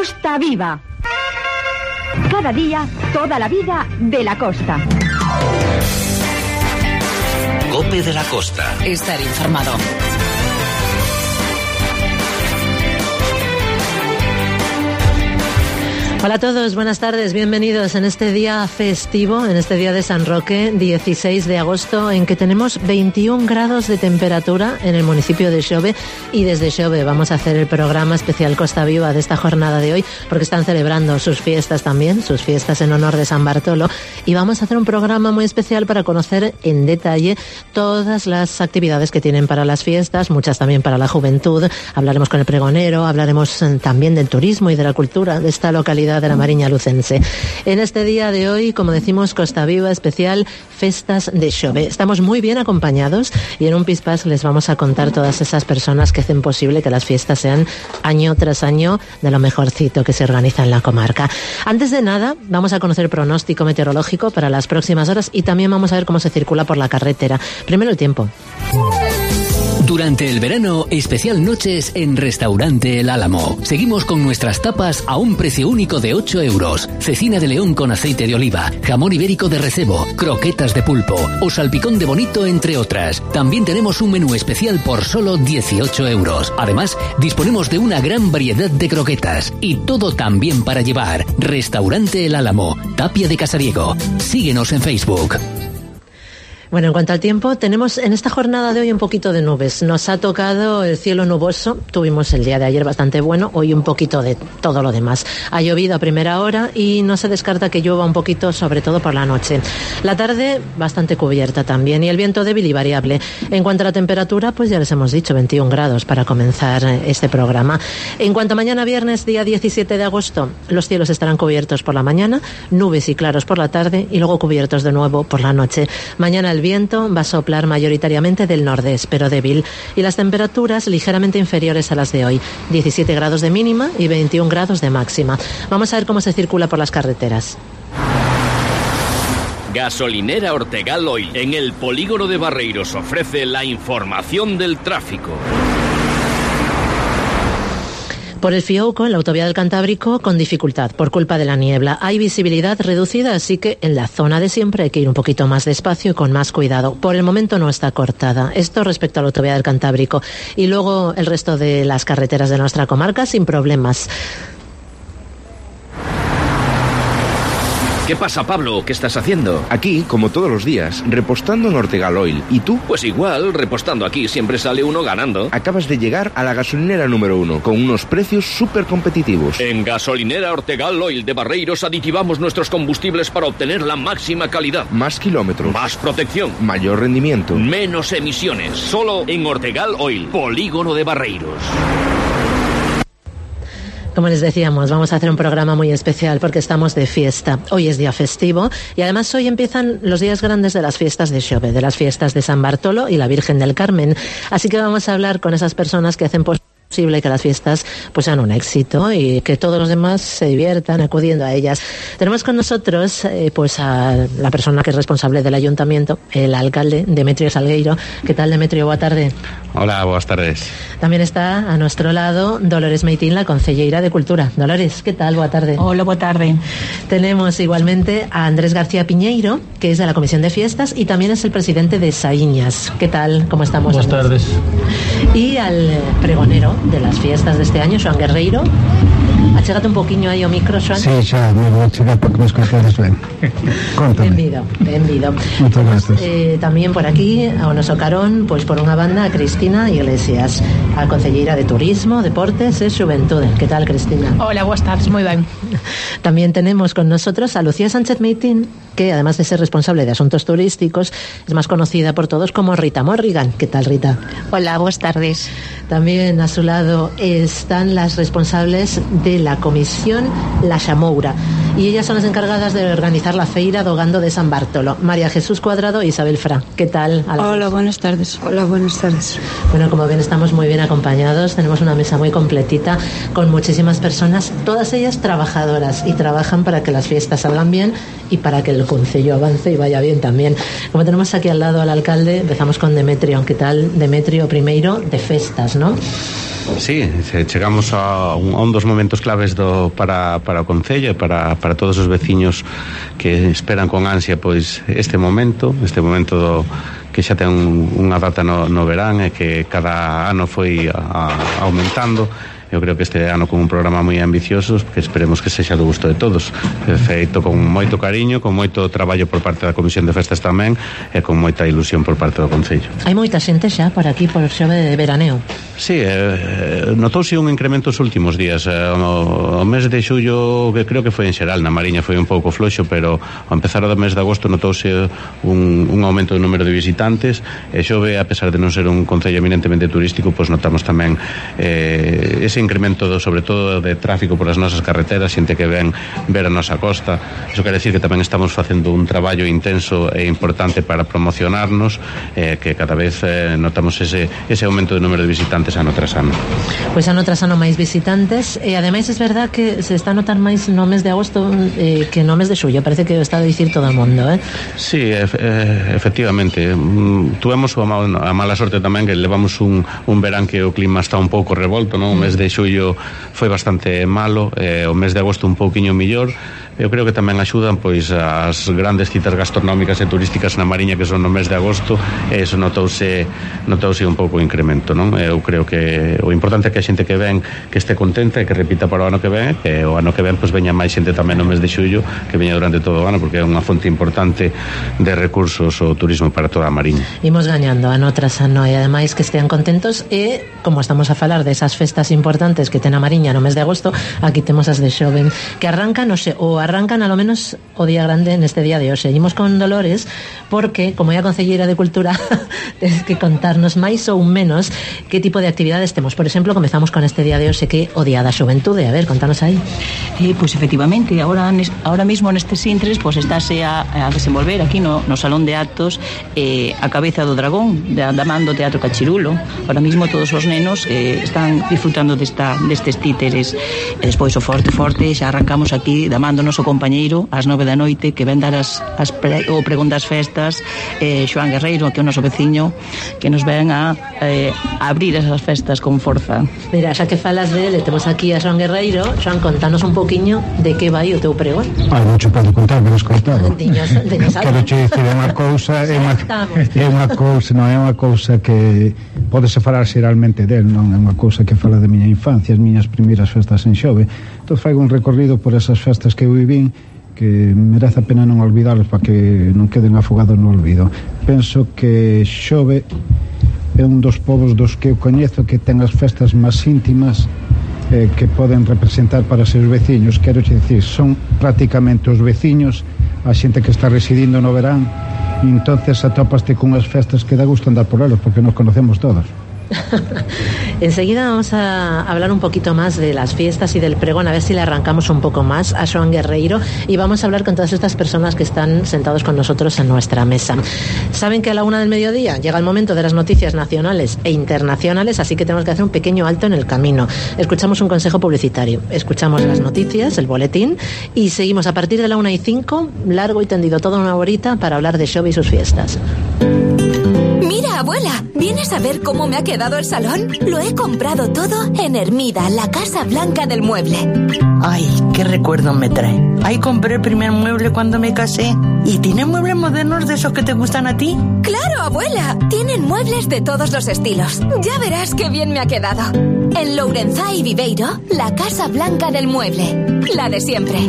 Costa Viva. Cada día, toda la vida de la costa. COPE de la Costa. Estar informado. Hola a todos, buenas tardes, bienvenidos en este día festivo, en este día de San Roque, 16 de agosto, en que tenemos 21 grados de temperatura en el municipio de Xove, y desde Xove vamos a hacer el programa especial Costa Viva de esta jornada de hoy, porque están celebrando sus fiestas también, sus fiestas en honor de San Bartolo, y vamos a hacer un programa muy especial para conocer en detalle todas las actividades que tienen para las fiestas, muchas también para la juventud. Hablaremos con el pregonero, hablaremos también del turismo y de la cultura de esta localidad de la Mariña Lucense. En este día de hoy, como decimos, Costa Viva especial Festas de Xove. Estamos muy bien acompañados y en un pispás les vamos a contar todas esas personas que hacen posible que las fiestas sean año tras año de lo mejorcito que se organiza en la comarca. Antes de nada, vamos a conocer el pronóstico meteorológico para las próximas horas y también vamos a ver cómo se circula por la carretera. Primero el tiempo. Durante el verano, especial noches en Restaurante El Álamo. Seguimos con nuestras tapas a un precio único de 8 euros. Cecina de león con aceite de oliva, jamón ibérico de recebo, croquetas de pulpo o salpicón de bonito, entre otras. También tenemos un menú especial por solo 18 euros. Además, disponemos de una gran variedad de croquetas y todo también para llevar. Restaurante El Álamo, Tapia de Casariego. Síguenos en Facebook. Bueno, en cuanto al tiempo, tenemos en esta jornada de hoy un poquito de nubes. Nos ha tocado el cielo nuboso. Tuvimos el día de ayer bastante bueno, hoy un poquito de todo lo demás. Ha llovido a primera hora y no se descarta que llueva un poquito, sobre todo por la noche. La tarde bastante cubierta también y el viento débil y variable. En cuanto a la temperatura, pues ya les hemos dicho, 21 grados para comenzar este programa. En cuanto a mañana viernes, día 17 de agosto, los cielos estarán cubiertos por la mañana, nubes y claros por la tarde y luego cubiertos de nuevo por la noche. Mañana el viento va a soplar mayoritariamente del nordeste, pero débil, y las temperaturas ligeramente inferiores a las de hoy, 17 grados de mínima y 21 grados de máxima. Vamos a ver cómo se circula por las carreteras. Gasolinera Ortegal Oil, en el polígono de Barreiros, ofrece la información del tráfico. Por el Fiouco, en la autovía del Cantábrico, con dificultad por culpa de la niebla. Hay visibilidad reducida, así que en la zona de siempre hay que ir un poquito más despacio y con más cuidado. Por el momento no está cortada. Esto respecto a la autovía del Cantábrico. Y luego el resto de las carreteras de nuestra comarca sin problemas. ¿Qué pasa, Pablo? ¿Qué estás haciendo? Aquí, como todos los días, repostando en Ortegal Oil. ¿Y tú? Pues igual, repostando aquí siempre sale uno ganando. Acabas de llegar a la gasolinera número 1, con unos precios súper competitivos. En Gasolinera Ortegal Oil de Barreiros aditivamos nuestros combustibles para obtener la máxima calidad. Más kilómetros. Más protección. Mayor rendimiento. Menos emisiones. Solo en Ortegal Oil, polígono de Barreiros. Como les decíamos, vamos a hacer un programa muy especial porque estamos de fiesta. Hoy es día festivo y además hoy empiezan los días grandes de las fiestas de Xove, de las fiestas de San Bartolo y la Virgen del Carmen. Así que vamos a hablar con esas personas que hacen posible que las fiestas pues sean un éxito y que todos los demás se diviertan acudiendo a ellas. Tenemos con nosotros pues a la persona que es responsable del ayuntamiento, el alcalde Demetrio Salgueiro. ¿Qué tal, Demetrio? Boa tarde. Hola, buenas tardes. También está a nuestro lado Dolores Meitín, la concelleira de Cultura. Dolores, ¿qué tal? Boa tarde. Hola, boa tarde. Tenemos igualmente a Andrés García Piñeiro, que es de la Comisión de Fiestas y también es el presidente de Saíñas. ¿Qué tal? ¿Cómo estamos? Buenas tardes. Y al pregonero de las fiestas de este año, Xoan Guerreiro. Achégate un poquinho aí o micro, Xoan. Sí, xa, me vou chegar porque me escoites ben. Contame. Benvido. Muchas gracias. Tamén por aquí, ao noso carón, pois por unha banda, a Cristina Iglesias, a concelleira de Turismo, Deportes e Xuventude. Que tal, Cristina? Hola, boas tardes, moi ben. También tenemos con nosotros a Lucía Sánchez Meitín, que además de ser responsable de asuntos turísticos, es más conocida por todos como Rita Morrigan. ¿Qué tal, Rita? Hola, boas tardes. También a su lado están las responsables de la comisión La Xamoura y ellas son las encargadas de organizar la feira do Gando de San Bartolo. María Jesús Cuadrado e Isabel Fra. ¿Qué tal? Hola, buenas tardes. Hola, buenas tardes. Bueno, como ven, estamos muy bien acompañados. Tenemos una mesa muy completita con muchísimas personas, todas ellas trabajadoras, y trabajan para que las fiestas salgan bien y para que el concello avance y vaya bien también. Como tenemos aquí al lado al alcalde, empezamos con Demetrio. ¿Qué tal, Demetrio? Primeiro, de festas, ¿no? Sí, chegamos a un dos momentos claves para o Concello e para todos os veciños que esperan con ansia pois este momento que xa ten unha data no verán e que cada ano foi aumentando. Eu creo que este ano con un programa moi ambicioso que esperemos que sexa do gusto de todos, feito con moito cariño, con moito traballo por parte da Comisión de Festas tamén e con moita ilusión por parte do Concello. Hai moita xente xa por aquí por Xove de veraneo. Sí, notouse un incremento os últimos días. O mes de xullo, que creo que foi en xeral, na Mariña foi un pouco floxo, pero ao empezar o mes de agosto notouse un aumento do número de visitantes e Xove, a pesar de non ser un concello eminentemente turístico, pois notamos tamén ese incremento sobre todo de tráfico por as nosas carreteras, xente que ven ver a nosa costa. Iso quere decir que tamén estamos facendo un traballo intenso e importante para promocionarnos, que cada vez notamos ese aumento de número de visitantes ano tras ano. Pois ano tras ano máis visitantes e ademais é verdad que se está a notar máis no mes de agosto que no mes de xullo, parece que o está a dicir todo o mundo, Sí, efectivamente. Tuvemos a mala sorte tamén que levamos un verán que o clima está un pouco revolto, non? O mes de xullo foi bastante malo, o mes de agosto un pouquiño millor. Eu creo que tamén axudan pois as grandes citas gastronómicas e turísticas na Mariña que son no mes de agosto, e iso notouse un pouco o incremento, non? Eu creo que o importante é que a xente que ven que este contenta e que repita para o ano que ven, e o ano que ven pois veña máis xente tamén no mes de xullo, que veña durante todo o ano, porque é unha fonte importante de recursos o turismo para toda a Mariña. Imos gañando ano tras ano e ademais que estean contentos e, como estamos a falar desas festas importantes que ten a Mariña no mes de agosto, aquí temos as de Xove que arrancan, arrancan a lo menos o día grande neste día de hoxe. Seguimos con Dolores porque, como é a concelleira de Cultura, tens que contarnos máis ou menos que tipo de actividades temos. Por exemplo, comezamos con este día de hoxe que o Día da Xuventude. A ver, contanos aí. Pois efectivamente, ahora mismo nestes intres pois estáse a desenvolver aquí no Salón de Actos a Cabeza do Dragón da man do Teatro Cachirulo. Ahora mismo todos os nenos están disfrutando destes títeres e despois o forte xa arrancamos aquí da man do noso compañeiro ás 9 da noite que ven dar o pregón das festas, Xoán Guerreiro, que é o noso veciño que nos ven a abrir esas festas con forza. Mira, xa que falas dele, temos aquí a Xoán Guerreiro. Xoán, contanos un poquinho de que vai o teu pregón. Mucho podo contar, pero escoitado. Quero che dicir, é unha cousa é unha cousa que podese falar xeralmente del, non é unha cousa que fala de miña infancia, as miñas primeiras festas en Xove. Entón faigo un recorrido por esas festas que eu vivín que merece a pena non olvidarlos para que non queden afogados no olvido. Penso que Xove é un dos povos dos que eu coñezo que ten as festas máis íntimas que poden representar para seus veciños. Quero dicir, son prácticamente os veciños, a xente que está residindo no verán, e entonces atopaste con as festas que dá gusto andar por elos porque nos conocemos todos. Enseguida vamos a hablar un poquito más de las fiestas y del pregón, a ver si le arrancamos un poco más a Xoán Guerreiro, y vamos a hablar con todas estas personas que están sentados con nosotros en nuestra mesa. Saben que a la 1 del mediodía llega el momento de las noticias nacionales e internacionales, así que tenemos que hacer un pequeño alto en el camino. Escuchamos un consejo publicitario, escuchamos las noticias, el boletín, y seguimos a partir de la 1:05, largo y tendido, toda una horita para hablar de Xove y sus fiestas. Mira, abuela, ¿vienes a ver cómo me ha quedado el salón? Lo he comprado todo en Hermida, la Casa Blanca del Mueble. Ay, qué recuerdo me trae. Ahí compré el primer mueble cuando me casé. ¿Y tienen muebles modernos de esos que te gustan a ti? ¡Claro, abuela! Tienen muebles de todos los estilos. Ya verás qué bien me ha quedado. En Lourenzá y Viveiro, la Casa Blanca del Mueble. La de siempre.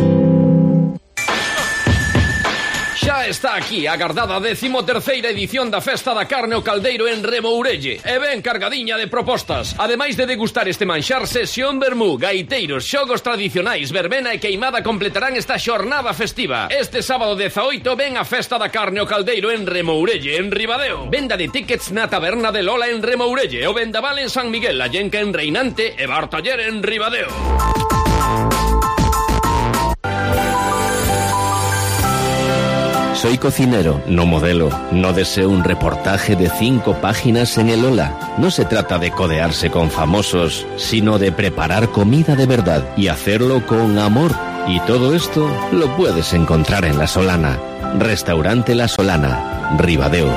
Xa está aquí a agardada 13ª edición da Festa da Carne o Caldeiro en Remourelle, e ben cargadiña de propostas. Ademais de degustar este manxar, sesión vermú, gaiteiros, xogos tradicionais, verbena e queimada completarán esta xornada festiva. Este sábado 18 ven a Festa da Carne o Caldeiro en Remourelle, en Ribadeo. Venda de tickets na taberna de Lola en Remourelle, o vendaval en San Miguel, a Llenca en Reinante e Bartaller en Ribadeo. Soy cocinero, no modelo. No deseo un reportaje de 5 páginas en el Ola. No se trata de codearse con famosos, sino de preparar comida de verdad y hacerlo con amor. Y todo esto lo puedes encontrar en La Solana. Restaurante La Solana, Ribadeo.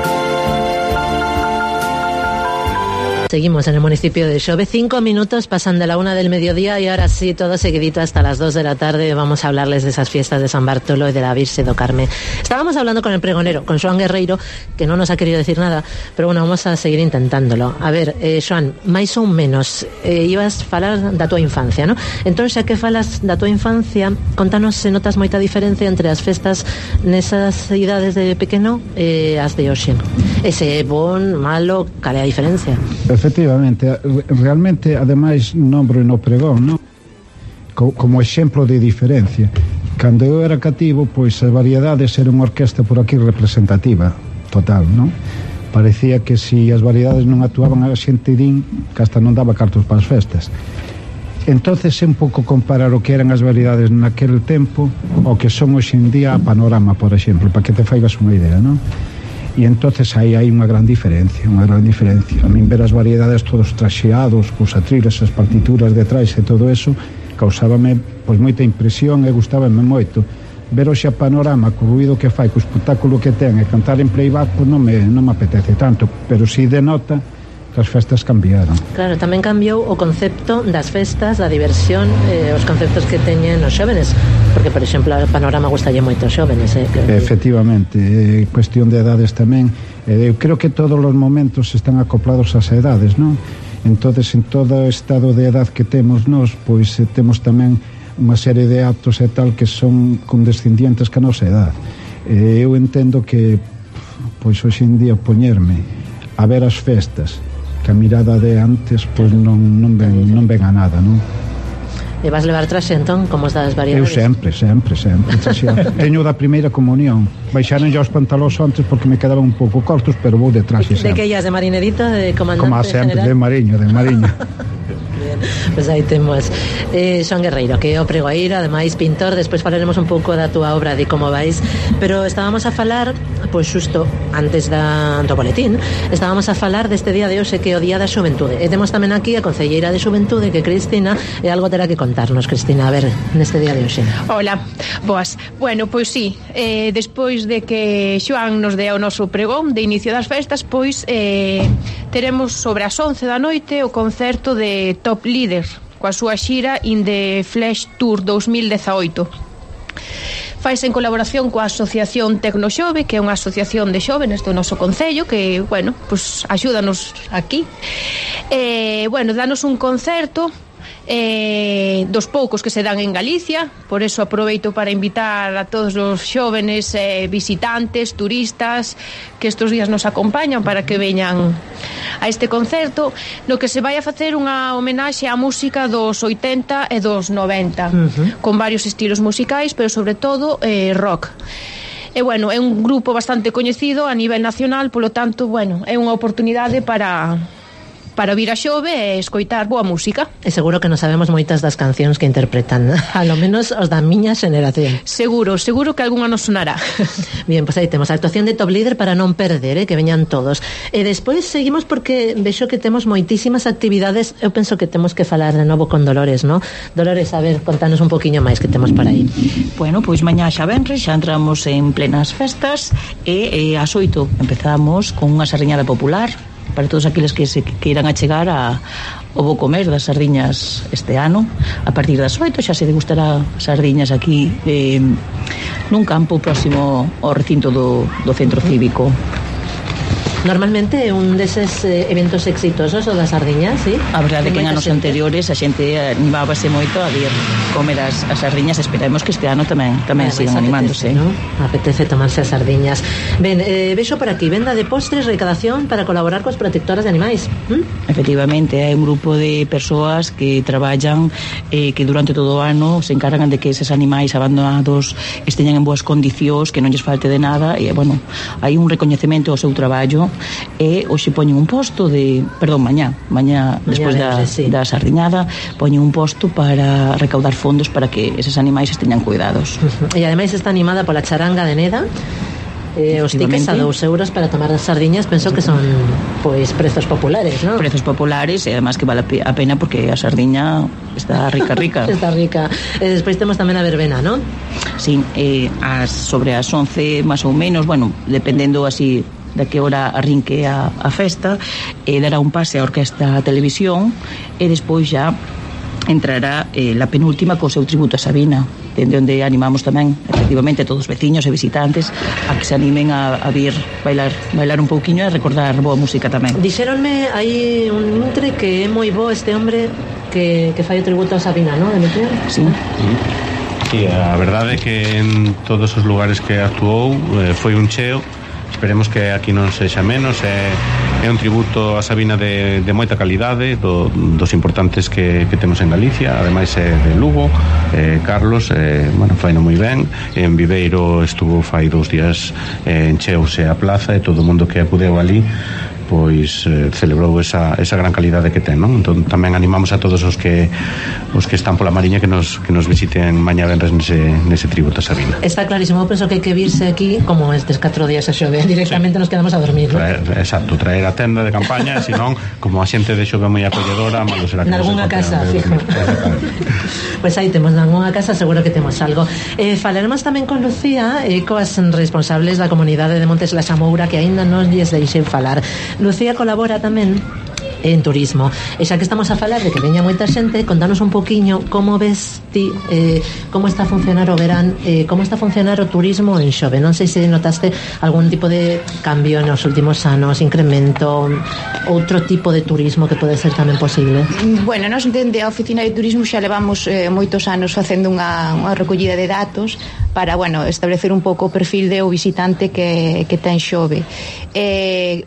Seguimos en el municipio de Xove. 5 minutos pasan de la 1 del mediodía y ahora sí, todo seguidito hasta las 2 de la tarde. Vamos a hablarles de esas fiestas de San Bartolo y de la Virxe do Carme. Estábamos hablando con el pregonero, con Xoán Guerreiro, que no nos ha querido decir nada, pero bueno, vamos a seguir intentándolo. A ver, Xoán, máis ou menos, ibas falar da tua infancia, ¿no? Entón, xa que falas da tua infancia, contanos se notas moita diferencia entre as festas nesas idades de pequeno e as de hoxe. Ese bon, malo, cal é a diferencia? Efectivamente, realmente, ademais, nombro no pregón, non? Como exemplo de diferencia. Cando eu era cativo, pois as variedades era unha orquesta por aquí representativa, total, non? Parecía que si as variedades non actuaban a xente din que hasta non daba cartos para as festas. Entonces é un pouco comparar o que eran as variedades naquele tempo o que son hoxe en día a Panorama, por exemplo, para que te faigas unha idea, non? E entonces aí hai unha gran diferencia, unha gran diferencia. A min ver as variedades todos traxeados, cos atriles, as partituras detrás e todo eso, causábame pois moita impresión e gustábame moito. Ver hoxe a Panorama, co ruido que fai, co espectáculo que ten e cantar en playback, pois non me apetece tanto, pero si denota que as festas cambiaron. Claro, tamén cambiou o concepto das festas, da diversión, os conceptos que teñen os xóvenes, porque, por exemplo, a Panorama gustalle moito aos xóvenes. Efectivamente, cuestión de edades tamén. Eu creo que todos os momentos están acoplados ás edades, non? Entonces, en todo o estado de edad que temos nós, pois temos tamén unha serie de actos e tal que son condescendientes ca nosa edad. Eu entendo que, pois, hoxe en día poñerme a ver as festas que a mirada de antes, pois non ven a nada, non? E vas levar traxe, entón, como as das variedades? Eu sempre teño da primeira comunión. Baixaron já os pantalóns antes porque me quedaban un pouco cortos, pero vou de traxe sempre. De que illas, de marinerito, de comandante como sempre, general? de mariño. Bien, pues aí temos Xoán Guerreiro, que é o pregoeiro, ademais pintor. Despois falaremos un pouco da túa obra, de como vais, pero estábamos a falar, pois xusto antes do boletín, estábamos a falar deste día de hoxe, que é o Día da Xuventude, e temos tamén aquí a concelleira de Xuventude, que é Cristina, e algo terá que contarnos, Cristina, a ver, neste día de hoxe. Hola, boas. Bueno, pois sí, despois de que Xoán nos dea o noso pregón de inicio das festas, pois teremos sobre as 11 da noite o concerto de Top Líder, coa súa xira In the Flash Tour 2018. Faise en colaboración coa Asociación Tecnoxove, que é unha asociación de xóvenes do noso concello, que, bueno, pues axúdanos aquí. Bueno, danos un concerto dos poucos que se dan en Galicia, por eso aproveito para invitar a todos os xóvenes visitantes, turistas que estos días nos acompañan para que veñan a este concerto, no que se vai a facer unha homenaxe á música dos 80 e dos 90, con varios estilos musicais, pero sobre todo rock. E bueno, é un grupo bastante coñecido a nivel nacional, polo tanto, bueno, é unha oportunidade para vir a Xove e escoitar boa música. E seguro que non sabemos moitas das cancións que interpretan, a lo menos os da miña xeneración. Seguro que algunha nos sonará. Bien, pois aí temos a actuación de Top Líder para non perder, que veñan todos. E despois seguimos porque vexo que temos moitísimas actividades. Eu penso que temos que falar de novo con Dolores, ¿no? Dolores, a ver, contanos un poquinho máis que temos por aí. Bueno, pois mañá xa venres, xa entramos en plenas festas e ás 8 empezamos con unha sardiñada popular para todos aqueles que se queiran achegar ao bo comer das sardiñas este ano. A partir das 8 xa se degustará sardiñas aquí nun campo próximo ao recinto do centro cívico. Normalmente é un deses eventos exitosos o das sardiñas, sí? A verdade é que en anos anteriores a xente animábase moito a vir comer as sardiñas. Esperemos que este ano tamén sigan animándose, ¿no? Apetece tomarse as sardiñas. Ben, vexo por aquí, venda de postres, recadación para colaborar coas protectoras de animais. Efectivamente, hai un grupo de persoas que traballan que durante todo o ano se encargan de que eses animais abandonados esteñan en boas condicións, que non lles falte de nada, e, bueno, hai un recoñecemento ao seu traballo. E hoxe poñen un posto mañá despois da sardiñada, poñen un posto para recaudar fondos para que eses animais esteñan cuidados. E ademais está animada pola charanga de Neda. Os tickets a 2 euros para tomar as sardiñas, penso que son pois prezos populares, ¿no? Prezos populares, e además que vale a pena porque a sardiña está rica. Está rica. E despois temos tamén a verbena, ¿no? Sí, sobre as 11 máis ou menos, bueno, dependendo así de que hora arrinque a festa, dará un pase a Orquesta Televisión e despois xa entrará la penúltima co seu tributo a Sabina, dende onde animamos tamén efectivamente a todos os veciños e visitantes a que se animen a vir bailar un pouquiño e recordar boa música tamén. Dixéronme aí un intre que é moi bo este hombre que fai o tributo a Sabina, non, Demetrio? Sí. Sí, a verdade é que en todos os lugares que actuou foi un cheo. Esperemos que aquí non sexa menos. É un tributo a Sabina de moita calidade, dos importantes que temos en Galicia. Ademais é de Lugo. Carlos, faino moi ben. En Viveiro estuvo fai 2 días, encheouse a plaza e todo o mundo que acudeu ali pois celebrou esa gran calidade que ten, non? Entón tamén animamos a todos os que están pola Mariña que nos visiten mañá venres nese tributo a Sabina. Está clarísimo, eu penso que hai que virse aquí como estes 4 días a Xove, directamente nos quedamos a dormir, ¿no? Exacto, traer a tenda de campaña, senón como a xente de Xove moi acolledora, malo será que nalgúnha casa, fijo. Pois aí temos nalgúnha casa, seguro que temos algo. Falaremos tamén con Lucía e coas responsables da comunidade de Montes La Xamoura que aínda non lles deixen falar. Lucía colabora tamén en turismo, e xa que estamos a falar de que veña moita xente, contanos un poquiño como ves ti, como está a funcionar o verán, como está a funcionar o turismo en Xove. Non sei se notaste algún tipo de cambio nos últimos anos, incremento, outro tipo de turismo que pode ser tamén posible. Bueno, nos dende a oficina de turismo xa levamos moitos anos facendo unha recollida de datos para, establecer un pouco o perfil de o visitante que ten Xove.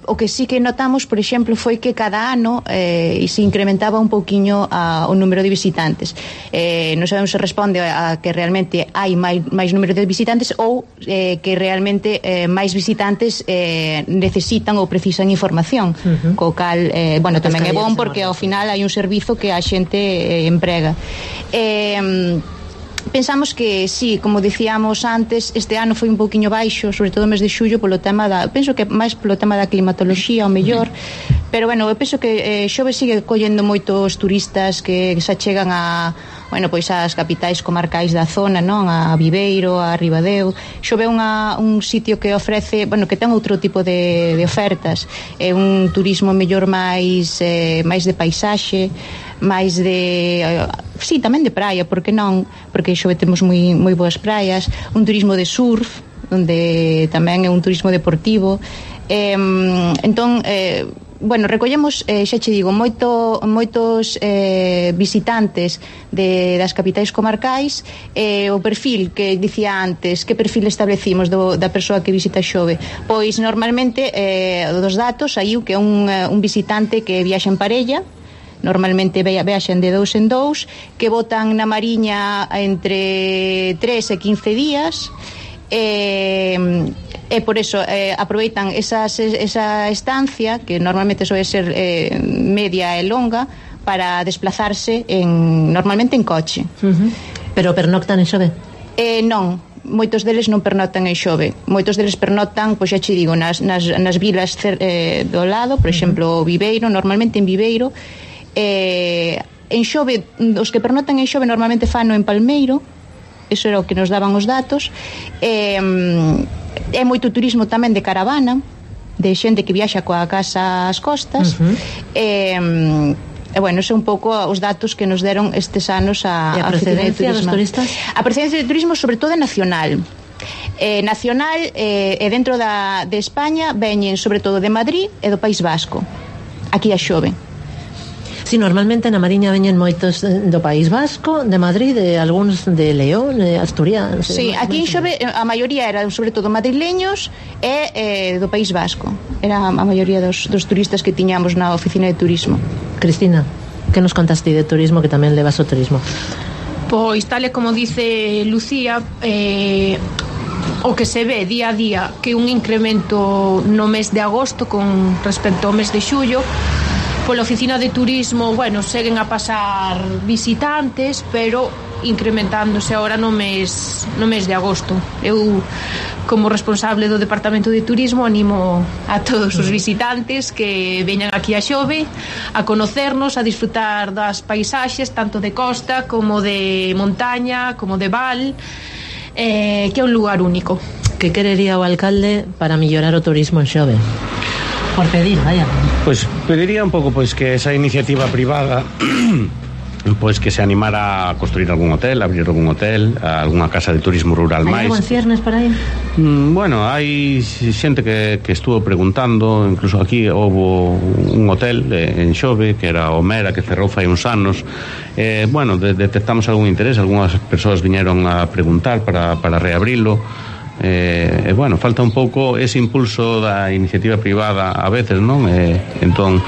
O que sí que notamos, por exemplo, foi que cada ano se incrementaba un pouquiño o número de visitantes. Non sabemos se responde a que realmente hai máis número de visitantes ou que realmente máis visitantes necesitan ou precisan información, co cal, tamén é bon porque ao final hai un servizo que a xente emprega. Pensamos que sí, como dicíamos antes, este ano foi un pouquiño baixo, sobre todo o mes de xullo, polo tema penso que máis polo tema da climatoloxía, ao mellor, pero eu penso que Xove sigue collendo moitos turistas que se achegan ás capitais comarcais da zona, non? A Viveiro, a Ribadeo. Xove é un sitio que ofrece, que ten outro tipo de ofertas. É un turismo mellor máis de paisaxe, máis de tamén de praia, porque non? Porque Xove temos moi boas praias, un turismo de surf, onde tamén é un turismo deportivo. Entón, recollemos, xa che digo, moitos visitantes das capitais comarcais. O perfil que dicía antes, que perfil establecimos da persoa que visita Xove? Pois normalmente dos datos saiu que é un visitante que viaxa en parella, normalmente viaxan de 2 en 2, que botan na Mariña entre 3 e 15 días, e por eso aproveitan esa estancia, que normalmente soe ser media e longa, para desplazarse normalmente en coche. Pero pernoctan en Xove? Non, moitos deles non pernoctan en Xove. Moitos deles pernoctan, pois xa che digo, nas vilas do lado, por exemplo, Viveiro, normalmente en Viveiro. En Xove, os que pernoctan en Xove normalmente fano en Palmeiro, eso era o que nos daban os datos. É moito turismo tamén de caravana, de xente que viaxa coa casa ás costas. Eso é un pouco os datos que nos deron estes anos a procedencia dos turistas? A procedencia de turismo sobre todo é nacional. Nacional e dentro de España veñen sobre todo de Madrid e do País Vasco, aquí a Xove. Sí, normalmente na Mariña veñen moitos do País Vasco, de Madrid, de algúns de León, de Asturias. Sí, aquí en Xove a maioría eran sobre todo madrileños e do País Vasco. Era a maioría dos turistas que tiñamos na oficina de turismo. Cristina, que nos contaste de turismo, que tamén levas o turismo? Pois tal e como dice Lucía, o que se ve día a día que un incremento no mes de agosto con respecto ao mes de xullo. Pola oficina de turismo, seguen a pasar visitantes, pero incrementándose ahora no mes de agosto. Eu, como responsable do Departamento de Turismo, animo a todos os visitantes que veñan aquí a Xove a conocernos, a disfrutar das paisaxes, tanto de costa como de montaña, como de val, que é un lugar único. Que querería o alcalde para mellorar o turismo en Xove? Por pedir, vaya. Pois pediría un pouco pois que esa iniciativa privada pois que se animara a construir algún hotel, abrir algún hotel, algunha casa de turismo rural máis. Hai algo en ciernes por aí? Bueno, hai xente que estuvo preguntando, incluso aquí houve un hotel en Xove que era o Mera, que cerrou fai uns anos. Bueno, detectamos algún interés, algunhas persoas viñeron a preguntar para reabrilo. Bueno, falta un pouco ese impulso da iniciativa privada a veces, non? Entón,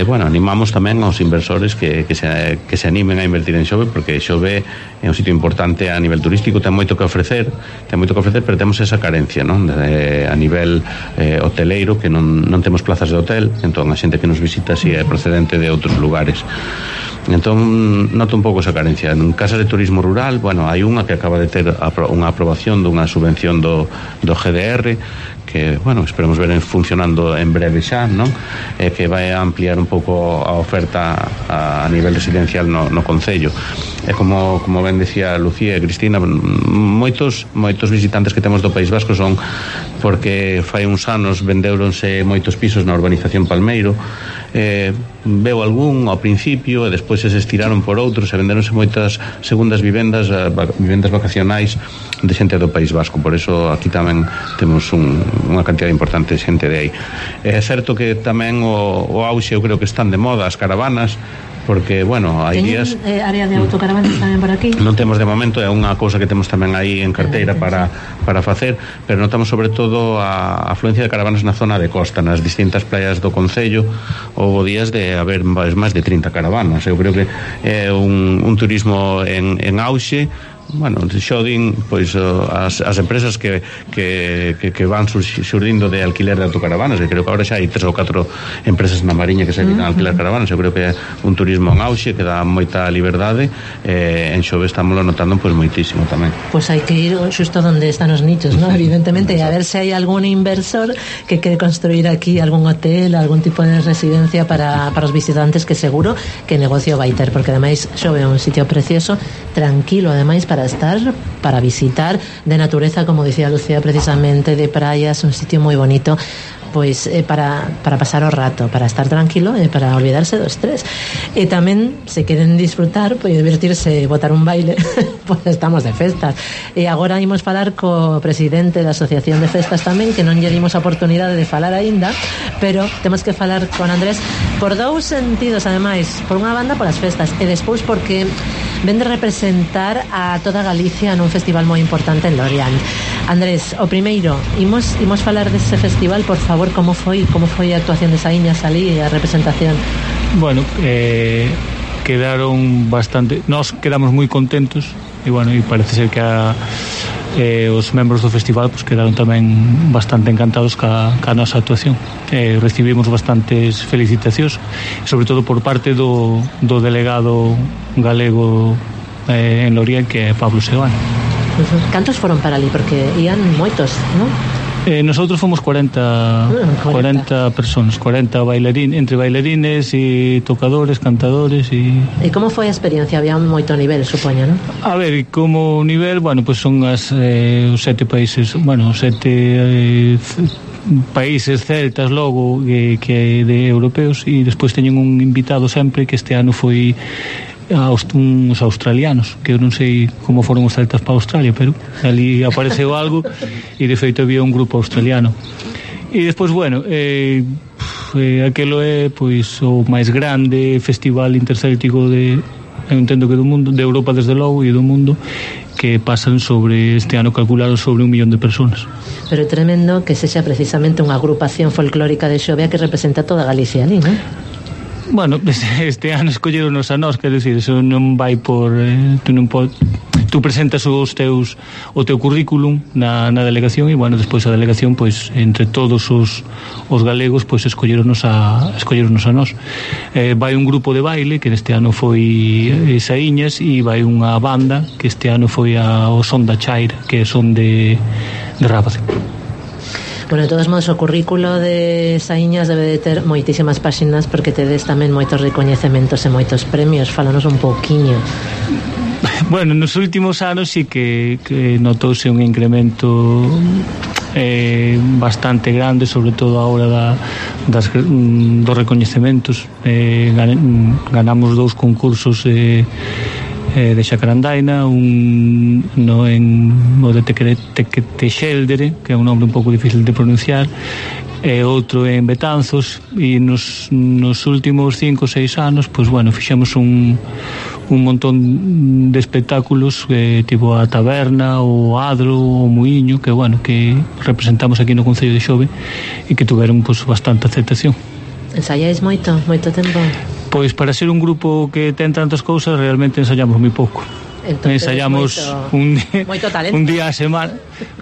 bueno, animamos tamén aos inversores que se animen a invertir en Xove, porque Xove é un sitio importante a nivel turístico, ten moito que ofrecer, pero temos esa carencia, non? A nivel hoteleiro, que non temos plazas de hotel, entón a xente que nos visita si é procedente de outros lugares. Entón noto un pouco esa carencia. En casas de turismo rural, bueno, hai unha que acaba de ter unha aprobación dunha subvención do GDR, que, bueno, esperemos ver funcionando en breve xa, non? Que vai a ampliar un pouco a oferta a nivel residencial no concello. E como ben decía Lucía e Cristina, moitos visitantes que temos do País Vasco son porque fai uns anos vendeuronse moitos pisos na urbanización Palmeiro, veu algún ao principio e despois se estiraron por outros e venderonse moitas segundas vivendas vacacionais de xente do País Vasco. Por eso aquí tamén temos unha cantidad importante de xente de aí. É certo que tamén o auxe, eu creo que están de moda as caravanas, porque, bueno, hai días... área de autocaravanas tamén por aquí? Non temos de momento, é unha cousa que temos tamén aí en carteira para facer, pero notamos sobre todo a afluencia de caravanas na zona de costa, nas distintas playas do concello. Houve días de haber máis de 30 caravanas. Eu creo que é un turismo en auxe. Bueno, xodin pois as empresas que van surdindo de alquiler de autocaravanas, e creo que agora xa hai 3 ou 4 empresas na Mariña que se dedican a alquilar caravanas. Eu creo que é un turismo en auxe que dá moita liberdade. En Xove estamos notando pois moitísimo tamén. Pois hai que ir xusto onde están os nichos, ¿no? Evidentemente, e a ver se hai algún inversor que quere construir aquí algún hotel, algún tipo de residencia para os visitantes, que seguro que negocio vai ter, porque ademais Xove é un sitio precioso, tranquilo, ademais para estar, para visitar, de natureza, como decía Lucía precisamente, de praias, un sitio moi bonito, pois para pasar o rato, para estar tranquilo e para olvidarse do estrés. E tamén, se queren disfrutar, pois divertirse, botar un baile, pois estamos de festas. E agora imos falar co presidente da Asociación de Festas tamén, que non lle dimos a oportunidade de falar aínda, pero temos que falar con Andrés por dous sentidos, ademais, por unha banda polas festas, e despois porque ven de representar a toda Galicia nun festival moi importante en Lorient. Andrés, o primeiro, imos falar dese festival, por favor. Como foi a actuación de Saíñas ali e a representación? Bueno, quedaron bastante, nós quedamos moi contentos, e bueno, e parece ser que os membros do festival pues quedaron tamén bastante encantados ca nosa actuación. Recibimos bastantes felicitacións, sobre todo por parte do delegado galego en Lorient, que é Pablo Seoane. Cantos foron para ali? Porque ían moitos, non? Nosotros fomos 40 personas, 40 bailarines, entre bailarines e tocadores, cantadores e como foi a experiencia? Había moito nivel, supoño, non? A ver, como nivel, bueno, pues son os 7 países, bueno, 7 países celtas logo que de europeos, e despois teñen un invitado sempre, que este ano foi uns australianos, que eu non sei como foron os celtas para Australia, pero ali apareceu algo, e de feito había un grupo australiano. E despois, bueno, aquelo é pois o máis grande festival intercéltico eu entendo que do mundo, de Europa desde logo, e do mundo, que pasan sobre, este ano calcularon sobre 1 millón de personas. Pero é tremendo que sexa precisamente unha agrupación folclórica de Xove que representa toda Galicia ali, non? Bueno, este ano escolleronos a nós, quer decir, eso non vai por tú presentas o teu currículum na delegación, e bueno, despois a delegación, pois entre todos os galegos, pois escolleronos a nós. Vai un grupo de baile, que neste ano foi Saíñas, e vai unha banda que este ano foi o Son da Chaira, que é son de Rábade. Bueno, de todos modos, o currículo de Saíñas debe de ter moitísimas páxinas, porque tedes tamén moitos recoñecementos e moitos premios. Fálanos un pouquiño. Bueno, nos últimos anos sí que notouse un incremento bastante grande, sobre todo a hora dos recoñecementos. Ganamos 2 concursos de Xacarandaina, un no de Teixeldere, que é un nombre un pouco difícil de pronunciar, e outro en Betanzos, e nos últimos 5 ou 6 anos, pois bueno, fixemos un montón de espectáculos, tipo a Taberna, o Adro, o Muiño, que bueno, que representamos aquí no Concello de Xove e que tuveron pois bastante aceptación. Ensayáis moito tempo? Pois para ser un grupo que ten tantas cousas, realmente ensayamos moi pouco. Entonces, ensayamos un día a semana.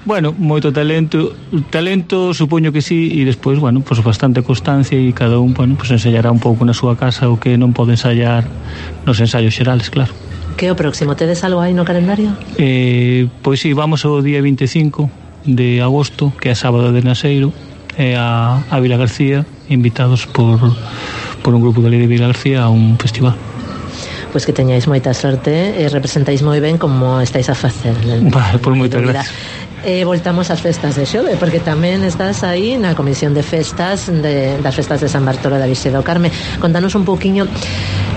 Bueno, moito talento supoño que sí, e despois, bueno, pues bastante constancia, e cada un, bueno, pues ensayará un pouco na súa casa o que non pode ensayar nos ensayos xerales, claro. Que o próximo, tedes algo aí no calendario? Pois sí, vamos ao día 25 de agosto, que é sábado de Naseiro, a Vila García, invitados por un grupo de Vila García a un festival. Pois que teñáis moita sorte e representáis moi ben como estáis a facer. Vale, por moitas gracias. Voltamos ás festas de Xove, porque tamén estás aí na comisión de festas das festas de San Bartolo da Virxe do Carme. Contanos un pouquiño,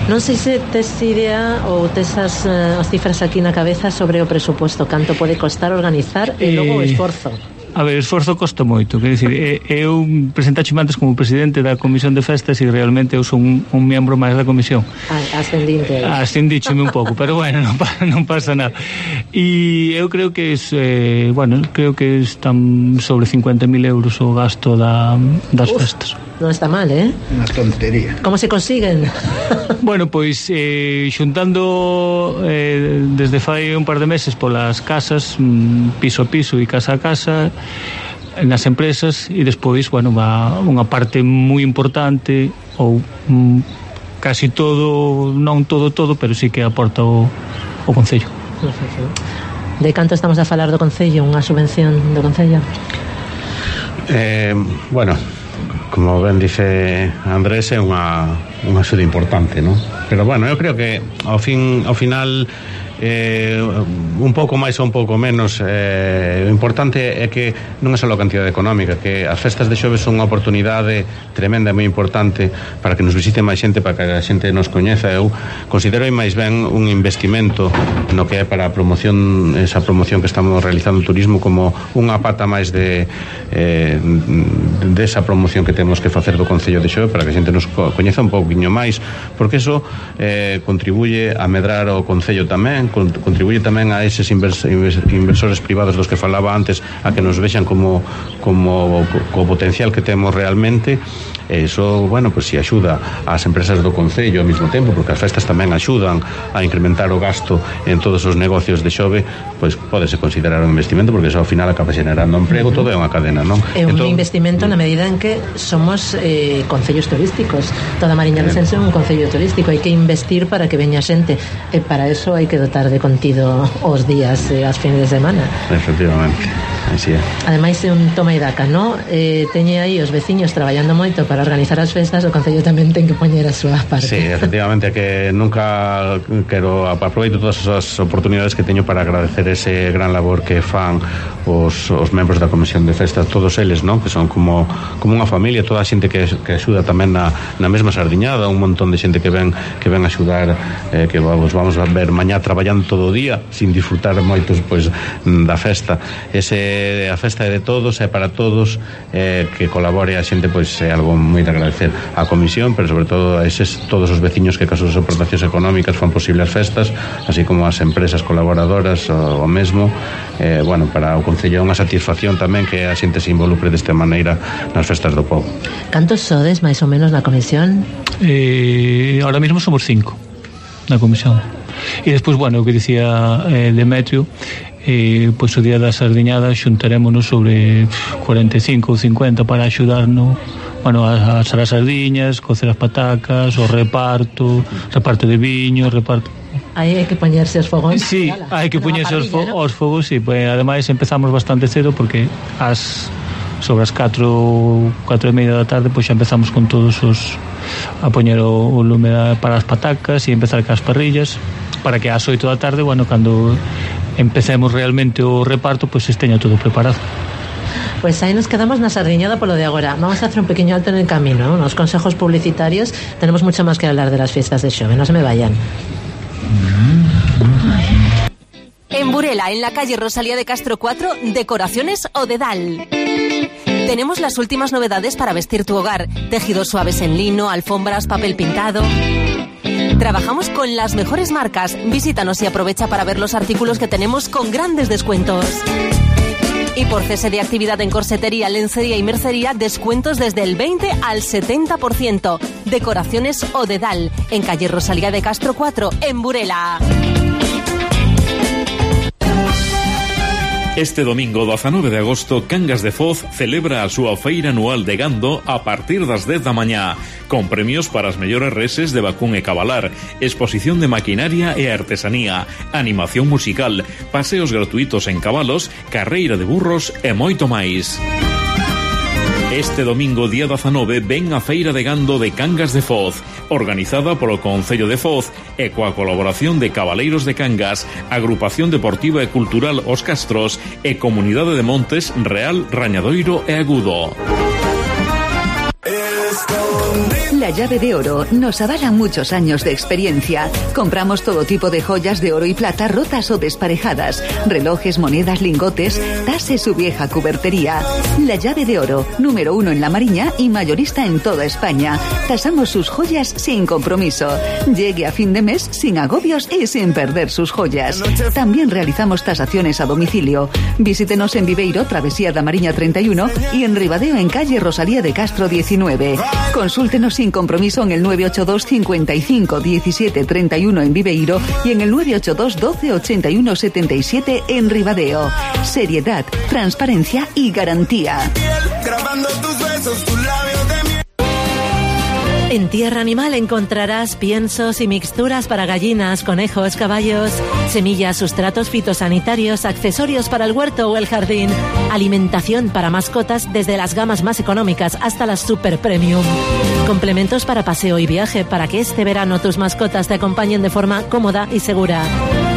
non sei se tes idea ou tes as cifras aquí na cabeza sobre o presuposto, canto pode costar organizar e logo o esforzo. A ver, o esforzo costa moito, quer dicir, eu presentaxeme antes como presidente da comisión de festas e realmente eu son un membro máis da comisión. Ascendícheme un pouco, pero bueno, non pasa nada. E eu creo que creo que están sobre 50.000 euros o gasto das festas. Non está mal, Unha tontería. Como se consiguen? Bueno, pois xuntando desde fai un par de meses polas casas, piso a piso e casa a casa, nas empresas, e despois, bueno, va unha parte moi importante, ou casi todo, non todo, pero sí que aporta o Concello. De canto estamos a falar do Concello? Unha subvención do Concello? Bueno, como ben dice Andrés, é unha axuda importante, non? Pero bueno, eu creo que ao final un pouco máis ou un pouco menos, o importante é que non é só a cantidade económica, que as festas de Xove son unha oportunidade tremenda e moi importante para que nos visite máis xente, para que a xente nos coñeza. Eu considero máis ben un investimento no que é para a promoción, esa promoción que estamos realizando o turismo, como unha pata máis desa promoción que temos que facer do Concello de Xove para que a xente nos coñeza un pouquiño máis, porque eso contribuye a medrar o Concello tamén, contribuye tamén a eses inversores privados dos que falaba antes, a que nos vexan como co potencial que temos realmente. Eso, bueno, pues si axuda ás empresas do Concello ao mesmo tempo, porque as festas tamén axudan a incrementar o gasto en todos os negocios de Xove, pois pódese considerar un investimento, porque eso ao final acaba generando emprego, todo é unha cadena, non? É un investimento na medida en que somos concellos turísticos. Toda Mariña Lucense é un concello turístico, hai que investir para que veña xente, e para eso hai que dotar de contido os días e as fines de semana. Efectivamente, así é. Ademais é un toma e daca, non? Teñe aí os veciños traballando moito para organizar as festas, o Concello tamén ten que poñer a súa parte. Sí, efectivamente, que nunca quero aproveito todas as oportunidades que teño para agradecer ese gran labor que fan os membros da Comisión de Festas, todos eles, non? Que son como unha familia, toda a xente que axuda tamén na mesma sardiñada, un montón de xente que ven a axudar, que vamos a ver mañá traballando todo o día sin disfrutar moitos pois da festa. A festa é de todos, é para todos, que colabore a xente, pois é algo moi de agradecer á Comisión, pero sobre todo a todos os veciños que caso as aportacións económicas fan posible as festas, así como as empresas colaboradoras o mesmo. Bueno, para o Concello é unha satisfacción tamén que a xente se involucre desta maneira nas festas do povo. Cantos sodes máis ou menos na Comisión? Ahora mesmo somos 5 na Comisión. E despois, bueno, o que dicía Demetrio, pois o día da sardiñada xuntarémonos sobre 45 ou 50 para axudarnos, bueno, a asar as sardiñas, cocer as patacas, o reparto de viño, Aí hai que poñerse os fogóns. Sí, hai que poñerse os fogos, sí, pues, ademais empezamos bastante cedo porque sobre as 4:30 da tarde pois xa empezamos con todos a poñer o lume para as patacas e empezar cas parrillas. para que ás 8 da tarde, bueno, cando empecemos realmente o reparto, pois esteña todo preparado. Pues ahí nos quedamos na sardiñada polo de agora. Vamos a hacer un pequeño alto en el camino, unos consejos publicitarios. Tenemos mucho más que hablar de las fiestas de Xove, no se me vayan. En Burela, en la calle Rosalía de Castro 4, Decoraciones Odedal. Tenemos las últimas novedades para vestir tu hogar. Tejidos suaves en lino, alfombras, papel pintado. Trabajamos con las mejores marcas. Visítanos y aprovecha para ver los artículos que tenemos con grandes descuentos. Y por cese de actividad en corsetería, lencería y mercería, descuentos desde el 20 al 70%. Decoraciones Odedal, en calle Rosalía de Castro 4, en Burela. Este domingo 19 de agosto, Cangas de Foz celebra a súa feira anual de gando a partir das 10 da mañá, con premios para as mellores reses de vacún e cabalar, exposición de maquinaria e artesanía, animación musical, paseos gratuitos en cabalos, carreira de burros e moito máis. Este domingo, día 19, ven a Feira de Gando de Cangas de Foz, organizada polo Concello de Foz e coa colaboración de Cabaleiros de Cangas, Agrupación Deportiva e Cultural Os Castros e Comunidade de Montes Real, Rañadoiro e Agudo. La Llave de Oro nos avala muchos años de experiencia. Compramos todo tipo de joyas de oro y plata rotas o desparejadas, relojes, monedas, lingotes, tase su vieja cubertería. La Llave de Oro, número 1 en La Mariña y mayorista en toda España. Tasamos sus joyas sin compromiso. Llegue a fin de mes sin agobios y sin perder sus joyas. También realizamos tasaciones a domicilio. Visítenos en Viveiro, Travesía da Mariña 31 y en Ribadeo, en calle Rosalía de Castro 19. Consúltenos sin compromiso en el 982 55 17 31 en Viveiro y en el 982 12 81 77 en Ribadeo. Seriedad, transparencia y garantía. En Tierra Animal encontrarás piensos y mixturas para gallinas, conejos, caballos, semillas, sustratos fitosanitarios, accesorios para el huerto o el jardín, alimentación para mascotas desde las gamas más económicas hasta las super premium, complementos para paseo y viaje para que este verano tus mascotas te acompañen de forma cómoda y segura.